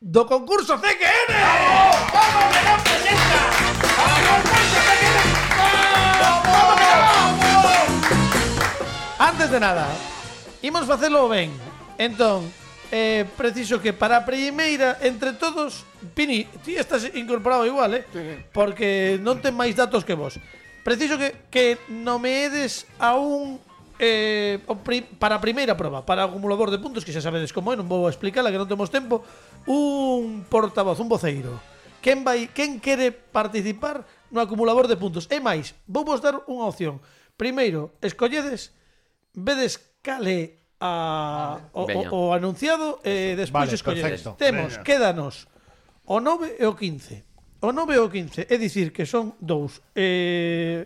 do concurso C Q N. ¡Vamos! ¡Vamos que non presenta! ¡Vamos, concurso C Q N! ¡Vamos, vamos que non! Antes de nada, imos facelo ben. Entón, eh, preciso que para a primeira, entre todos, Pini, ti estás incorporado igual, eh? Porque non ten máis datos que vos. Preciso que, que nomeedes a un eh, o pri, para a primeira proba, para o acumulador de puntos, que xa sabedes como é, non vou explicarla, que non temos tempo, un portavoz, un voceiro. Quen vai, quen quere participar no acumulador de puntos? E máis, vou vos dar unha opción. Primeiro, escolledes, vedes cale a, o, o, o anunciado e despois Vale, escolledes. perfecto. Temos, Venga. quédanos o nove e o quince. O nove e o quince, é dicir que son dous. Eh,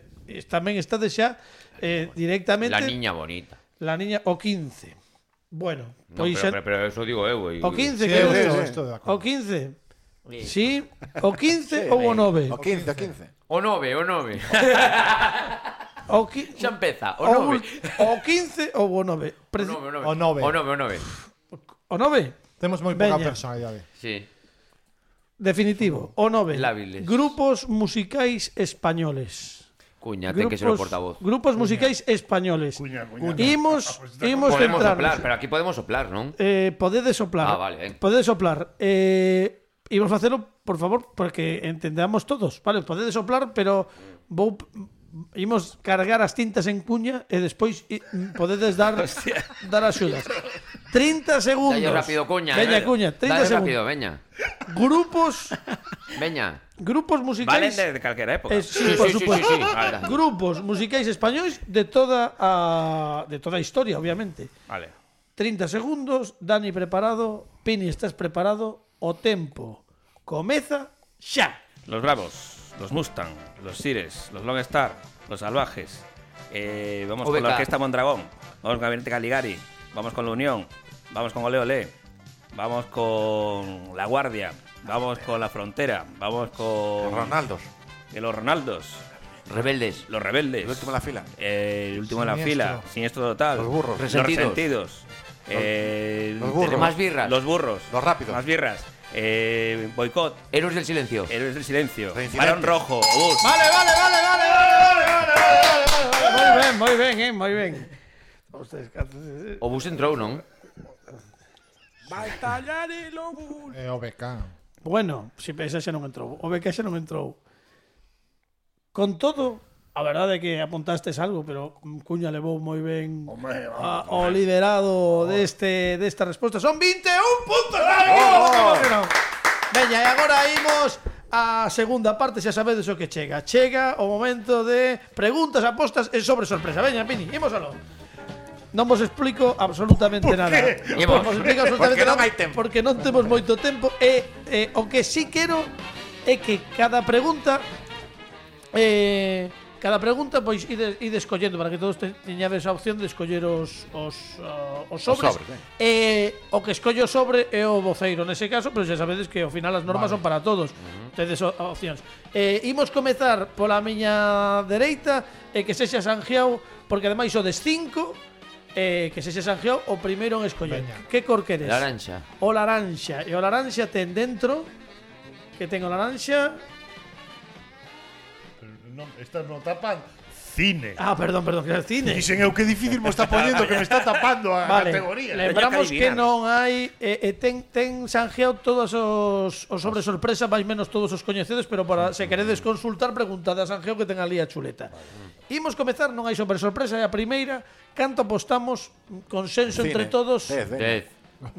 tamén estades xa eh, directamente La niña bonita. la niña o quince. Bueno, No, pois pero, xa- pero, pero eso digo eu. o quince, Sí, que eu é estou- o- estou de o acordo. quince. Sí, o quince ou o nove. O quince, o quince. O nove, o nove. O, qui- Xa empeza, o o nove. ul- o quince ou o nove. O Preci- nove, o nove. O nove. O nove, o nove. O nove. Temos moi pouca Veña. personalidade. Sí. Definitivo, o nove. Lábiles. Grupos musicais españoles. Cuña, ten que ser o portavoz. Grupos musicais españoles. Cuña, cuña. Imos, imos Podemos centrarnos. soplar, pero aquí podemos soplar, non? Eh, podedes soplar. Ah, vale, ben. Podedes soplar. Eh, imos facelo, por favor, porque entendamos todos. Vale, podedes soplar, pero vou imos cargar as tintas en cuña e despois i- podedes dar dar axudas. trinta segundos. Dalle rápido, cuña. Veña, eh. cuña, trinta Dalle segundos. rápido, veña. Grupos Veña. grupos Valen musicais de, de calquera época. Eh, sí, Sí, por sí, sí, supuesto. sí, sí. Vale. Grupos musicais españois de toda a de toda a historia, obviamente. Vale. trinta segundos, Dani preparado, Pini estás preparado, o tempo comeza xa. Los Bravos, los Mustang, los Sires, los Lone Star, los Salvajes. Eh, vamos O B K. con la Orquesta Mondragón. Vamos con Gabinete Caligari. Vamos con La Unión. Vamos con Ole Ole. Vamos con La Guardia. Vamos con La Frontera. Vamos con Ronaldos. eh, los Ronaldos. Rebeldes. Los Rebeldes. El último en la fila. Eh, el último en la Siniestro. fila. Siniestro total. Los burros. Los Resentidos. resentidos. Eh, los burros. tenemos Más birras. Los burros. Los rápidos. Más birras. Eh, boicot. Héroes del silencio. Héroes del silencio. Reincidentes. Balón rojo. Obús. Vale, vale, vale, vale, vale, vale, vale, vale, vale, vale. Moi ben, moi ben, eh, moi ben. Ustedes, O bus entrou, non? E o B K. bueno, si esa xa non entrou. O B K xa non entrou. Con todo, a verdade é que apuntastes algo, pero Cuña levou moi ben a, o liderado deste desta resposta. Son vinte e un puntos. Oh! Veña, e agora imos a segunda parte, xa sabedes o que chega. Chega o momento de preguntas, apostas e sobre sorpresa. Veña, Pini, imos aló. Non vos explico absolutamente nada. Non vos explico absolutamente Porque non nada hai tempo. porque non temos moito tempo e eh, o que sí quero é que cada pregunta eh, cada pregunta pois ide, ide escollendo para que todos te, teñades a opción de escoller os os, uh, os sobres. sobres, E o que escollo sobre é o voceiro nese caso, pero xa sabedes que ao final as normas son para todos. Tedes o- opcións. Eh, imos comezar pola miña dereita e que sexa Sanjiao, porque ademais o des cinco. Eh, que se se sanjeou o primeiro en escoller. Veña. Que cor queres? Laranxa. O laranxa. E o laranxa ten dentro que ten o laranxa. Non, estas non tapan cine. Ah, perdón, perdón, que era cine. Dicen eu que difícil mo está poñendo que me está tapando a Vale, categoría. lembramos que Teño que non adivinar. hai eh, eh, ten, ten sanjeado todos os, os sobre sorpresa, máis menos todos os coñecedos, pero para se queredes consultar, preguntade a Sanjeo que ten ali a chuleta. Imos comezar, non hai sobre sorpresa, é a primeira. Canto apostamos, consenso Cine. entre todos. Dez, veña. Dez.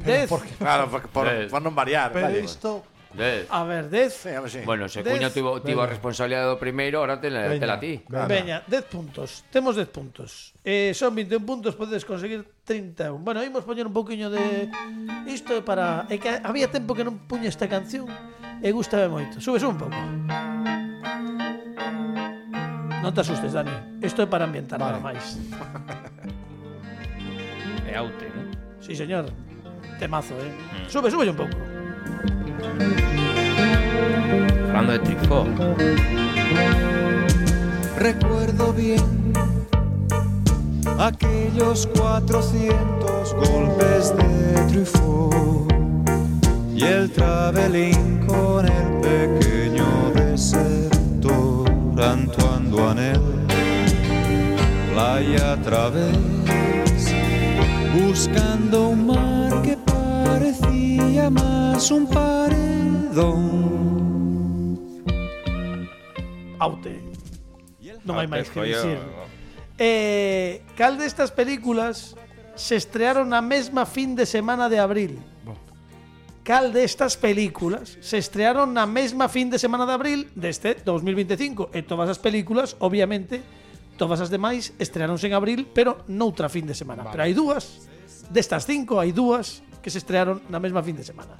Dez. Claro, porque por, Dez. por non variar. Pero vale. isto... Dez. A ver, dez. Sí, a ver, sí. Bueno, se Dez. Cuña tivo, tivo a responsabilidade do primeiro, ahora te la, te la ti. Veña. Veña, dez puntos. Temos dez puntos. Eh, son vinte e un puntos, podedes conseguir trinta e un. Bueno, imos poñer un poquinho de isto é para é que había tempo que non puña esta canción e gustame moito. Subes un pouco. Non te asustes, Dani. Isto é para ambientar Vale. nada máis. E aute, ¿no? Sí, señor. Temazo, eh. Sube, sube un pouco. Hablando de Trifó. Recuerdo bien aquellos cuatrocientos golpes de Truffaut y el travelín con el pequeño desertor Antoine Duanel, playa a través, buscando un mar que parecía más un paredón. Aute. Non hai máis que Collo. dicir. Eh, cal destas películas se estrearon na mesma fin de semana de abril? Cal destas películas se estrearon na mesma fin de semana de abril deste dos mil veinticinco? E todas as películas, obviamente, todas as demais estrearonse en abril, pero noutra fin de semana. Vale. Pero hai dúas, destas cinco hai dúas que se estrearon na mesma fin de semana.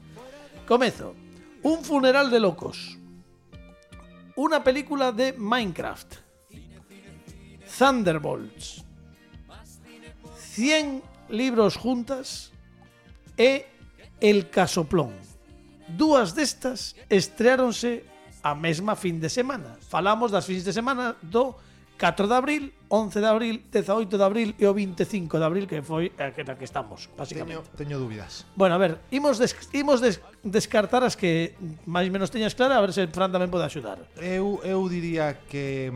Comezo. Un funeral de locos. Una película de Minecraft. Thunderbolts. cien libros juntas e El Casoplón. Dúas destas estreáronse a mesma fin de semana. Falamos das fins de semana do catro de abril, once de abril, dezaoito de abril e o veinticinco de abril, que foi a que, na que estamos, basicamente. Teño, teño dúbidas. Bueno, a ver, imos, des, imos des, descartar as que máis menos teñas clara, a ver se Fran tamén pode axudar. Eu, eu diría que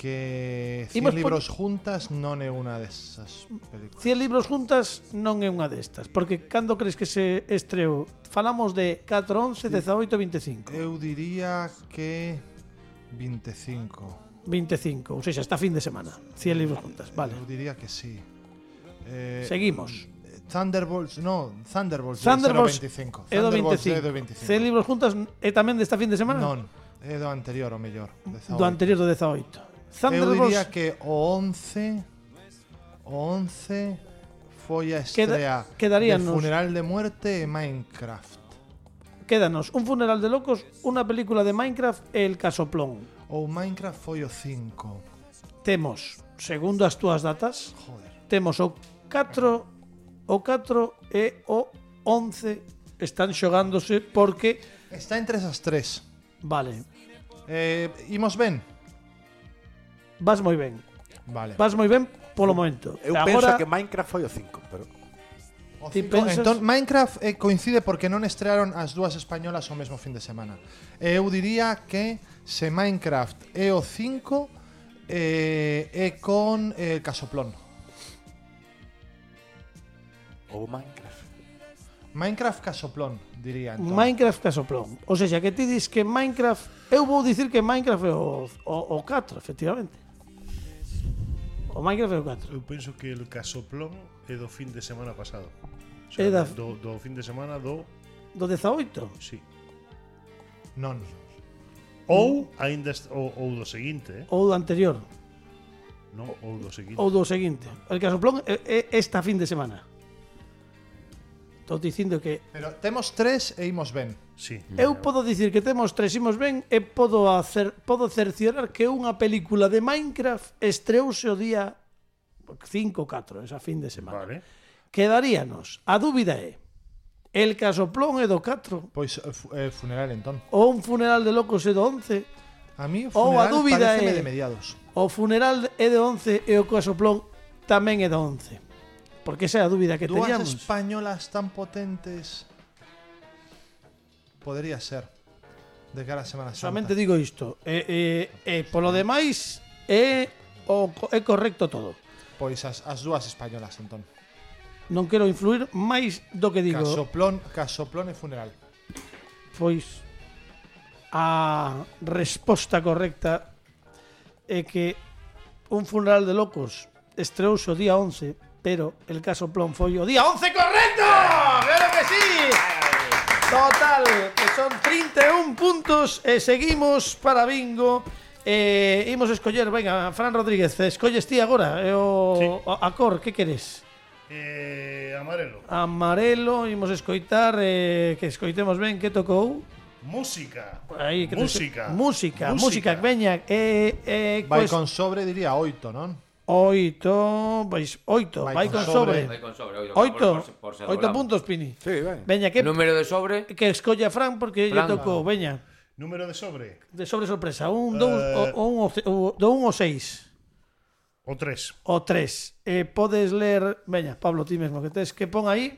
que cien Imos libros por... juntas non é unha desas películas. cien libros juntas non é unha destas, porque cando crees que se estreou? Falamos de catro, once, dezaoito, veinticinco. Eu diría que veinticinco. veinticinco, ou seja, esta fin de semana. cien libros juntas, vale. Eu diría que sí. Eh, Seguimos. Thunderbolts, no, Thunderbolts, Thunderbolts é do veinticinco. é do Thunderbolts veinticinco. é do veinticinco. cien libros juntas é tamén desta fin de semana? Non, é do anterior, o mellor. Do anterior do dezaoito. Eu Thunderbolts diría que o once o once foi a estrea Queda- quedaríanos- de Funeral de Muerte e Minecraft. Quédanos un funeral de locos, unha película de Minecraft e El Casoplón. Ou Minecraft foi o cinco. Temos, segundo as túas datas, Joder. temos o catro, o catro e o once están xogándose porque Está entre esas tres. vale, Eh, imos ben? vas moi ben. Vale. Vas moi ben polo momento. Eu Agora, penso que Minecraft foi o cinco, pero O Ti cinco- pensas- Entón, Minecraft eh, coincide porque non estrearon as dúas españolas o mesmo fin de semana. E eu diría que se Minecraft é o cinco eh, é con eh, Casoplón. ou Minecraft. Minecraft Casoplón, diría entón. Minecraft Casoplón. O sea, que ti dis que Minecraft, eu vou dicir que Minecraft é o, o, o catro, efectivamente. O Minecraft é o catro. Eu penso que el Casoplón é do fin de semana pasado. O É da- do, do fin de semana do... Do dezaoito. Sí. Non. Ou aínda est- ou, ou do seguinte, eh? Ou do anterior. Non, ou do seguinte. Ou do seguinte. El Casoplón é, é esta fin de semana. Estou dicindo que Pero temos tres e imos ben. Sí. eu podo dicir que temos tres imos ben e podo hacer, podo cerciorar que unha película de Minecraft estreouse o día cinco ou catro, esa fin de semana. Vale. Quedaríanos. A dúbida é El Casoplón é do catro Pois eh, fu- eh, funeral entón. ou un funeral de locos é do once. A mí o Ou a funeral dúbida pareceme é- de mediados. O funeral é de once e o Casoplón tamén é do once. Porque esa é a dúbida que Dúas teníamos. españolas tan potentes podría ser de cara a Semana Santa. Solamente digo isto. E, e, e polo demais é o é correcto todo. Pois as, as dúas españolas entón. Non quero influir máis do que digo. Casoplón, Casoplón e funeral. Pois a resposta correcta é que un funeral de locos estreouse o día once, pero el Casoplón foi o día once correcto. Claro que sí. Total, que son trinta e un puntos e seguimos para bingo. Eh, imos escoller, venga, Fran Rodríguez, escolles ti agora e o Sí. a, a cor, que queres? Eh, amarelo. Amarelo, imos escoitar, eh, que escoitemos ben, que tocou? Música. Aí, que Música. música, música, veña, eh, eh, Vai pues, con sobre diría oito, non? oito, pois oito, vai, Vai con con sobre. Vai con sobre, oito, Oito, por- por- por ser oito volamos. puntos, Pini. Sí, ben. Veña, que, Número de sobre. que escolla Fran porque lle Fran. tocou, veña, Número de sobre. de sobre sorpresa, un, dous, Eh. o, o un, o, ce- o, do un o seis, O tres. o tres. Eh, podes ler, veña, Pablo, ti mesmo, que tes que pon aí.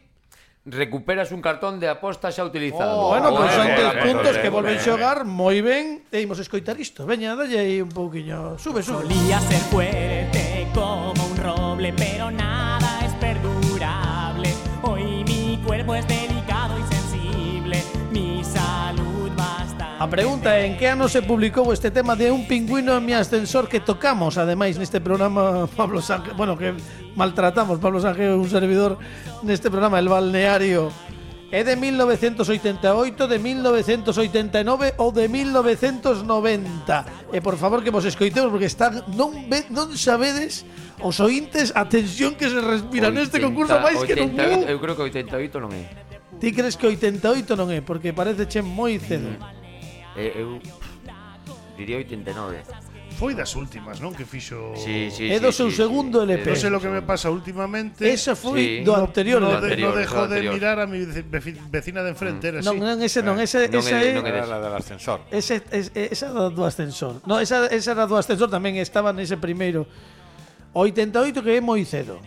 Recuperas un cartón de aposta xa utilizado. Oh, Bueno, pois Moi son ben, tres ben, puntos ben, que volven ben. xogar moi ben e imos escoitar isto. Veña, dalle aí un pouquiño. Sube, sube. Solía ser fuerte como un roble, pero nada es perdurable. Hoy mi cuerpo es delicado. A pregunta é en que ano se publicou este tema de Un pingüino en mi ascensor que tocamos, ademais, neste programa Pablo Sánchez, bueno, que maltratamos Pablo Sánchez, un servidor neste programa El Balneario. É de mil novecientos oitenta e oito, de mil novecientos oitenta e nove ou de mil novecientos noventa. E por favor que vos escoitemos porque están non ve, non sabedes os ointes a tensión que se respira neste concurso máis que non. Eu creo que oitenta e oito non é. Ti crees que oitenta e oito non é porque parece che moi cedo. Eh, eu diría oitenta e nove. Foi das últimas, non? Que fixo... Sí, sí, É do sí, seu sí, segundo sí. L P. Non sei lo que me pasa últimamente. Esa foi Sí. do anterior No, L P. de, no anterior, dejo do de anterior. mirar a mi veci- vecina de enfrente, era Non, así. non, ese non, ese, Non esa é- é... non é Era la del ascensor. Ese, es, esa do, do ascensor. No, esa, esa era do ascensor tamén estaba nese primeiro. oitenta e oito que é moi cedo.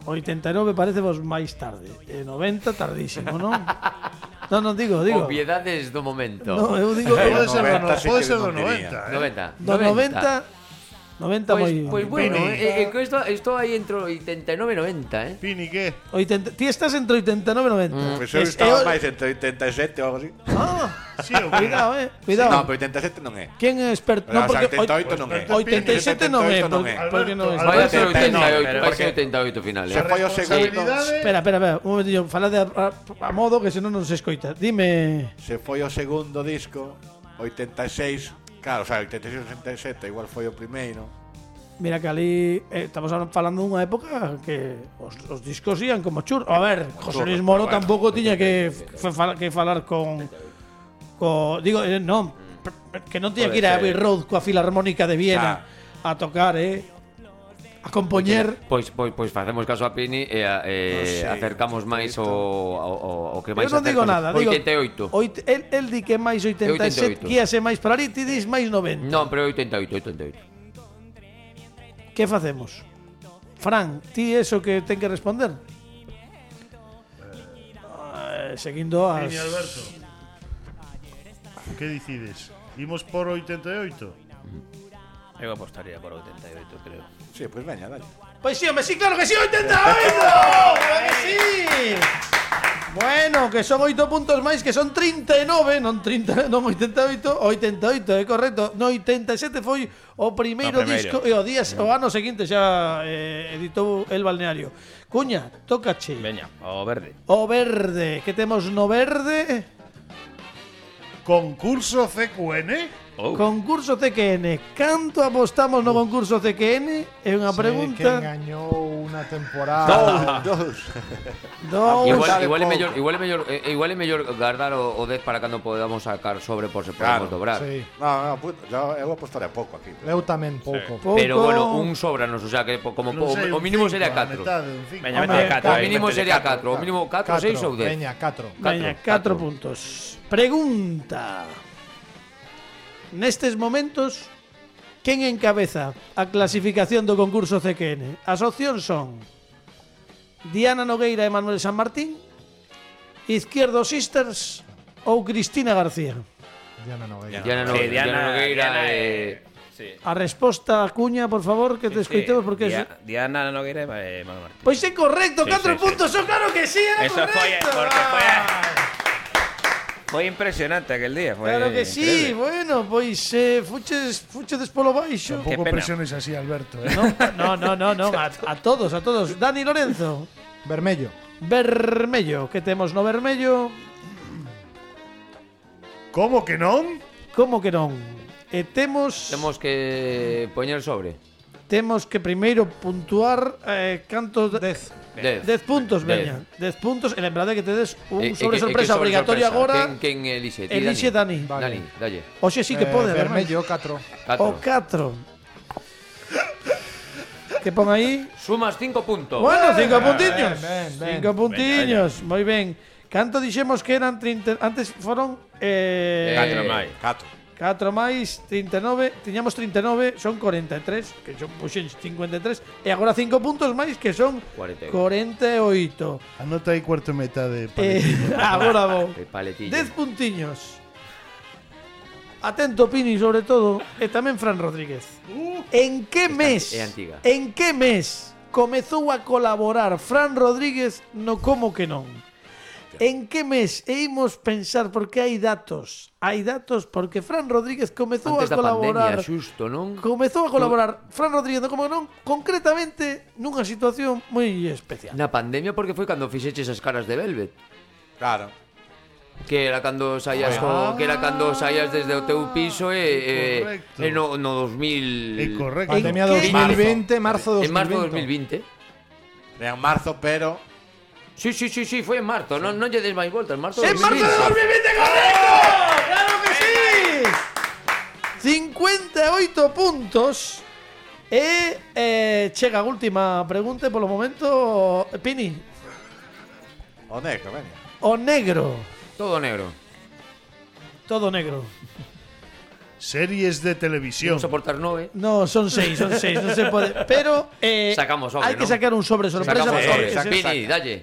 oitenta e nove parece vos máis tarde. E noventa tardísimo, non? Non, non digo, digo. Obviedades do momento. No, eu digo Pode ser do, noventa no, sí pode que ser do non diría. noventa, eh? noventa. do noventa noventa Pois, moi. pois bueno, Pini. eh, eh, que esto, esto aí entre oitenta e nove e noventa, eh. Pini, que? oitenta, ti estás entre oitenta e nove e noventa. Pois eu Es- estaba eu- máis entre oitenta e sete ou algo así. Ah, Sí, o que? cuidado, eh, cuidado. No, pero oitenta e sete non é. Quen é experto? No, Non, porque oitenta e oito non é. oitenta e sete non é, oitenta e oito non porque, é. porque non é. Alberto, Vai a ser Alberto, oitenta e oito, pero vai a ser porque- oitenta e oito final, Se eh. foi o segundo, Responsabilidade. Espera, espera, espera, un momentillo, falade a, a, a modo que senón non se escoita. Dime, se foi o segundo disco, oitenta e seis, claro, o sea, oitenta e seis e oitenta e sete igual foi o primeiro. mira que ali eh, estamos ahora falando dunha época que os, os discos ían como chur. A ver, José Luis Moro bueno. tampouco tiña que, f- fa- que falar con co, digo, eh, non, p- que non tiña que ir a Abbey Road coa Filarmónica de Viena a tocar, eh, a compoñer. Pois, pois, pois facemos caso a Pini e a, eh, Non sei, acercamos máis o, o, o que máis Eu non digo nada, digo oitenta e oito. oit- el, el di que máis oitenta e sete, oitenta e oito. guíase máis para ali, ti dis máis noventa. Non, pero oitenta e oito, oitenta e oito. Que facemos? Fran, ti eso que ten que responder? Eh, seguindo as... Pini, Alberto. Que decides? Imos por oitenta e oito? Eu apostaría por oitenta e oito, creo. Sí, pois pues veña, dale. Pois sí, hombre, sí, claro que sí, oitenta e oito. Claro que sí. Bueno, que son oito puntos máis, que son trinta e nove, non trinta, non oitenta e oito, oitenta e oito, é correcto. No oitenta e sete foi o primeiro, O primeiro. disco e o día o ano seguinte xa eh, editou El Balneario. Cuña, tócache. Veña, o verde. O verde, que temos no verde? Concurso C Q N? Oh. Concurso C Q N. Canto apostamos no concurso C Q N? É unha Que pregunta. engañou unha temporada. Dos. Dous. Igual, Sabe igual, é pouco. mellor, igual é mellor, eh, igual é mellor guardar o, o dez para cando podamos sacar sobre por se podemos Claro, dobrar. Sí. No, no, puto, yo, eu apostaré pouco aquí. Eu tamén pouco. Pouco. Pero bueno, un sobranos, o sea que po- como Non po- sei, o un mínimo cinco, sería a catro. metade, un cinco. Veña, Hombre, vete de catro. O aí, mínimo vete de sería catro. catro, o mínimo catro, seis ou dez. Veña, catro. Veña, catro puntos. Pregunta. Nestes momentos, quen encabeza a clasificación do concurso C Q N? As opcións son Diana Nogueira e Manuel San Martín, Izquierdo Sisters ou Cristina García. Diana Nogueira. Diana, no, Sí, Diana, Nogueira Diana, eh, Sí. A resposta, Cuña, por favor, que te escoitemos porque Dia- eso... Diana Nogueira e Manuel Martín. Pois é correcto, Sí, catro sí, sí. puntos, oh, claro que sí, era Eso foi correcto. porque foi Ah. Foi impresionante aquel día, foi Claro que sí, increíble. bueno, pois eh, fuches, fuches polo baixo. Qué Tampouco pena. presiones así, Alberto, eh? No, no, no, no, a, a todos, a todos. Dani Lorenzo, Vermello. vermello, que temos no vermello? Como que non? Como que non? E temos temos que poñer sobre. temos que primeiro puntuar eh, cantos de Dez. dez. dez puntos, Dez. veña. dez puntos, e lembrade que tedes un Eh, eh, sobre que- eh, sorpresa que sobre obligatorio sorpresa. agora. Quen, quen elixe? Ti, Elixe Dani. Vale. Dani, dalle. Oxe sí que Eh, pode, ademais. vermello, catro. O catro. catro. Que pon aí? Sumas cinco puntos. Bueno, cinco puntiños. ben, ben. Cinco puntiños, moi ben. Canto dixemos que eran trinta, antes foron eh, Catro máis. Catro. catro máis trinta e nove, tiñamos trinta e nove, son corenta e tres, que son puxen cincuenta e tres, e agora cinco puntos máis que son cuarenta e oito. corenta e oito. Anota aí cuarto e metade. Eh, agora vou. El paletillo. dez puntiños. Atento Pini sobre todo, e tamén Fran Rodríguez. En que mes? é antiga. En que mes comezou a colaborar Fran Rodríguez no Como que non? En que mes e imos pensar porque hai datos. Hai datos porque Fran Rodríguez comezou Antes a da colaborar. pandemia, xusto, non? Comezou a colaborar Fran Rodríguez, como non, concretamente nunha situación moi especial. Na pandemia porque foi cando fixeches as caras de Velvet. Claro. Que era cando saías Ah. co, que era cando saías desde o teu piso e Correcto. e, e no, no dos mil É correcto. Pandemia ¿En qué? dos mil veinte, marzo en marzo de dos mil dos veinte. mil vinte. Era en marzo, pero... Sí, sí, sí, sí, foi en marzo, non non lle des máis voltas, en marzo ¡En de marzo de dos mil veinte, correcto! ¡Claro que sí! cincuenta e oito puntos. E eh, chega a última pregunta e polo momento, Pini, O negro, veña. o negro. Todo negro. Todo negro. Series de televisión. Vamos a aportar nove. No, son seis, son seis, no se pode. Pero eh, Sacamos sobre, hai que ¿no? sacar un sobre sorpresa. Sacamos porque sobre. se- Pini, dalle.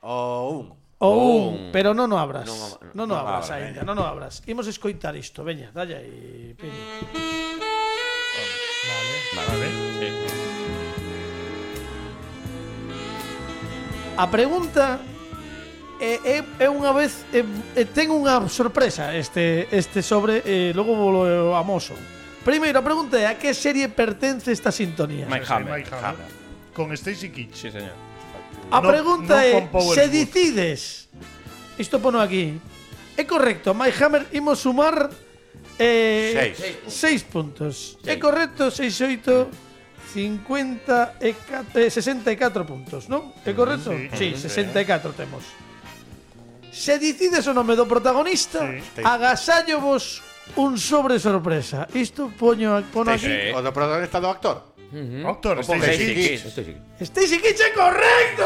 O un. O Un. un, pero non o abras. Non o- Non o non o abras abra, aínda, veña. non o abras. Imos escoitar isto, veña, dalle aí, Pini. Vale. A pregunta é, é, é unha vez é, é, ten unha sorpresa este este sobre e logo volo amoso. Primeiro, a pregunta é a que serie pertence esta sintonía? Mike Sí, Hammer. Mike Hammer. Con Stacy Keach. Sí, señor. A No- pregunta no é con Power se Book. decides. Isto pono aquí. É correcto, Mike Hammer imos sumar eh, Seis. seis puntos. É correcto, seis, oito, cincuenta e catro, eh, sesenta e catro puntos, non? É correcto? Sí, Sí. sesenta e catro temos. Se decides o nome do protagonista, Sí. agasallo vos un sobre sorpresa. Isto poño, pono aquí. Sí. O do protagonista do actor. Doctor, Ojo, Stacy Stacy Keach. Keach. Esto sí. Stacy Keach é correcto!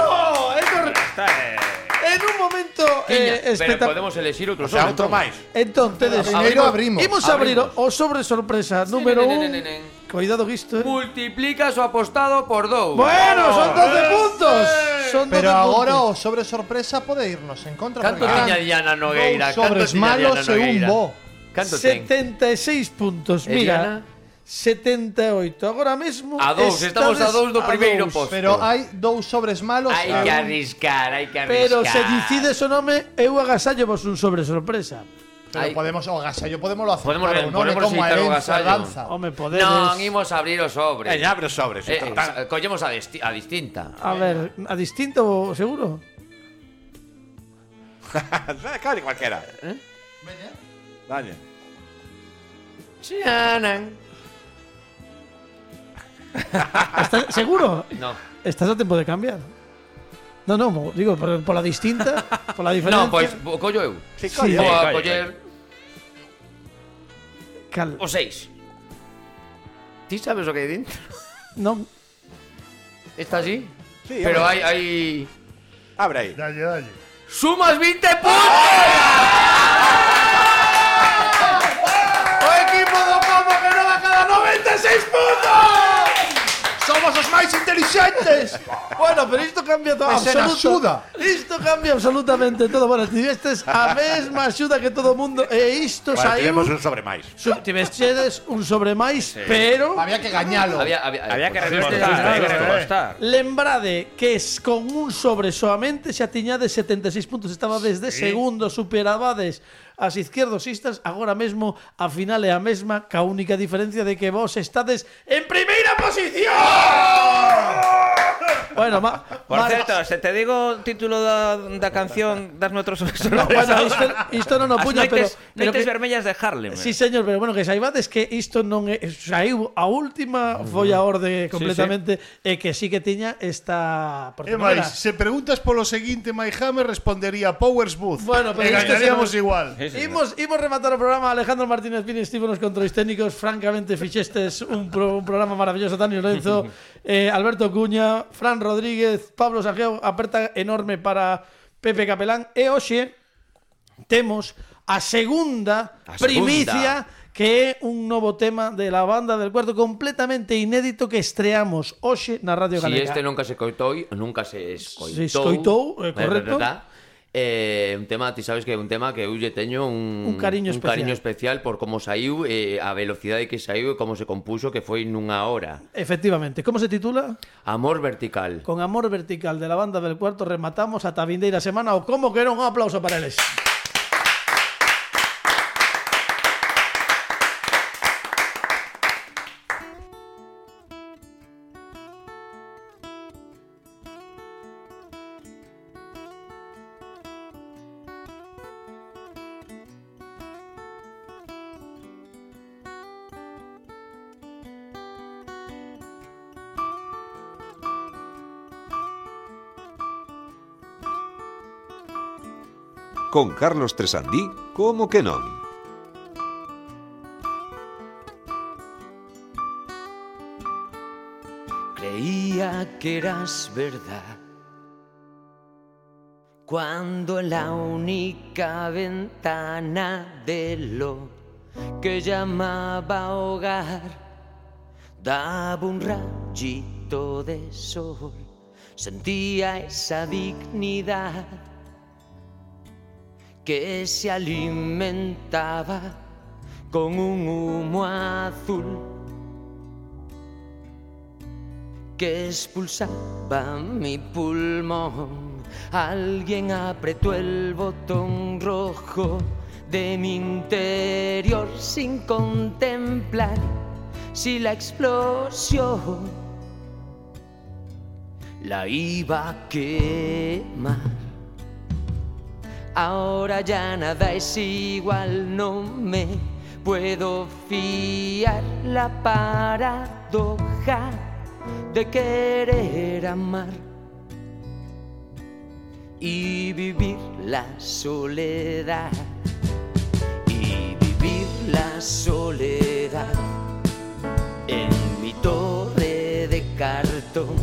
É correcto. Está, eh, En un momento Tiña, eh, pero espectacular. podemos elegir O outro sea, sobre. outro entón. máis. Entón, tedes Primeiro abrimos. Imos a abrir Abrimos. o sobre sorpresa número nen, un. nen, nen. Cuidado que isto, eh. Multiplicas o apostado por dous. Bueno, son doce puntos. Son Pero doce agora puntos. o sobre sorpresa pode irnos en contra. Canto porque tiña eran Diana Nogueira? dous Canto sobres tiña malos Diana e un Nogueira? bo. Canto ten? setenta e seis puntos. E Mira, Diana? setenta e oito. Agora mesmo A dous, estamos a dous do estades primeiro dous. posto. Pero hai dous sobres malos. Hai e que un- arriscar, hai que arriscar. Pero se decides o nome, eu agasallo vos un sobre sorpresa. Pero Hai- podemos o agasallo podemos aceptar. Podemos- o nome podemos como a editar o herencia, agasallo. danza. Home, podedes. Non, imos a abrir o sobre. Eh, abre os sobres. Eh, Eh, eh, collemos a, desti- a distinta. A ver, a distinto, seguro. Cale cualquiera. Eh? Dalle. Xianan. ¿Estás seguro? No. Estás a tempo de cambiar. No, no, mo- digo, por, por la distinta, por la diferencia. No, pois o collo eu. Sí, Sí. Vou a colle, coller Cal. o seis. Ti sabes o que hai dentro? Non. Está así? Sí, Pero abre. hai hai Abre aí. Dalle, dalle. sumas vinte puntos. O equipo do Pomo que non a cada noventa e seis puntos. Somos os máis inteligentes. Bueno, pero isto cambia todo. Ese na absoluta. axuda. Isto cambia absolutamente todo. Bueno, tivestes a mesma axuda que todo o mundo e isto Bueno, saiu. tivemos un sobre máis. Su- Tivestes un sobre máis, pero Había que gañalo. Había, había, Había que pues, recortar, este- había que este- recortar. lembrade que es con un sobre soamente xa tiñades setenta e seis puntos, estaba desde segundo, superabades as izquierdosistas, agora mesmo a final é a mesma, ca única diferencia de que vos estades en primeira posición. Bueno, ma, Por ma- certo, se te digo o título da, da canción das nuestros no, bueno, isto, isto non o As puña, pero, noites, pero noites que, vermellas de Harlem. sí, señor, pero bueno, que saibades que isto non é, saiu a última foi a orde completamente e que sí que tiña esta porque E non era- máis, se preguntas polo seguinte, Mike Hammer respondería Powers Booth. Bueno, pero e este gañaríamos se nos- igual. Sí, sí, Imos, imos rematar o programa. Alejandro Martínez Pini estivo nos controis técnicos. Francamente, fixestes un, pro, un programa maravilloso. Dani Lorenzo, eh, Alberto Cuña, Fran Rodríguez, Pablo Sanjeo. Aperta enorme para Pepe Capelán. E hoxe temos a segunda A segunda. primicia, que é un novo tema de la banda del cuarto completamente inédito que estreamos hoxe na Radio Si Galega. este nunca se coitou, nunca se escoitou. Se escoitou, é É correcto. verdad. Eh, un tema, ti sabes que é un tema que eu lle teño un, Un cariño un especial. cariño especial por como saiu, eh, a velocidade que saiu e como se compuxo, que foi nunha hora. Efectivamente. Como se titula? Amor vertical. Con Amor Vertical de la banda del Cuarto rematamos ata a vindeira semana o como que non, un aplauso para eles. Con Carlos Tresandí, como que non? Creía que eras verdad cuando en la única ventana de lo que llamaba hogar daba un rayito de sol, sentía esa dignidad que se alimentaba con un humo azul que expulsaba mi pulmón. Alguien apretó el botón rojo de mi interior sin contemplar si la explosión la iba a quemar. Ahora ya nada es igual, no me puedo fiar. La paradoja de querer amar y vivir la soledad, y vivir la soledad en mi torre de cartón,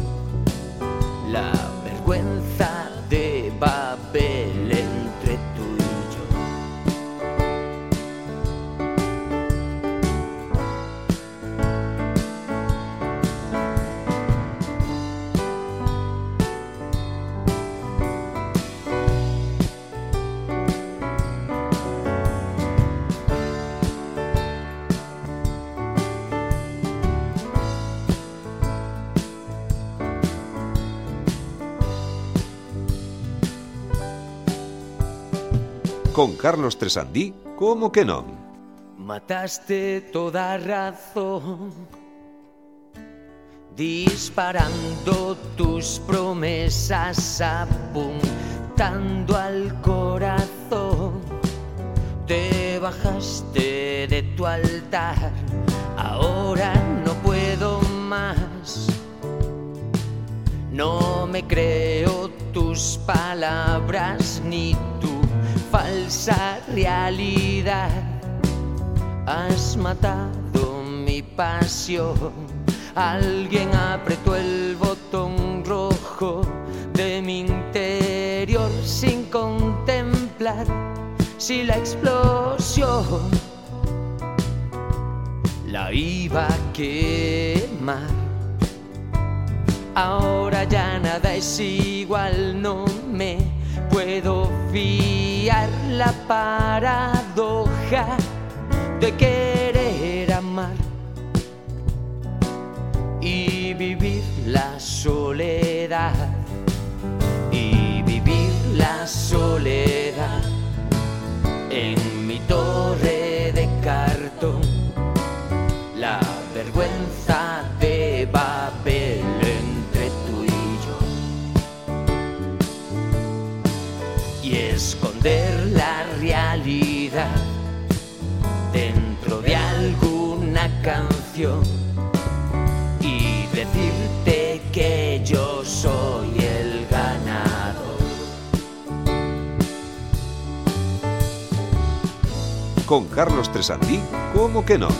la vergüenza de Babel entre tú y yo. Con Carlos Tresandí, como que non? Mataste toda razón, disparando tus promesas, apuntando al corazón. Te bajaste de tu altar, ahora no puedo más. No me creo tus palabras ni tu falsa realidad. Has matado mi pasión. Alguien apretó el botón rojo de mi interior sin contemplar si la explosión la iba a quemar. Ahora ya nada es igual, no me puedo fiar. La paradoja de querer amar y vivir la soledad, y vivir la soledad en mi torre de cartón, la vergüenza de Babel entre tú y yo, y esconder la realidad dentro de alguna canción y decirte que yo soy el ganador. Con Carlos Tresandí, como que non?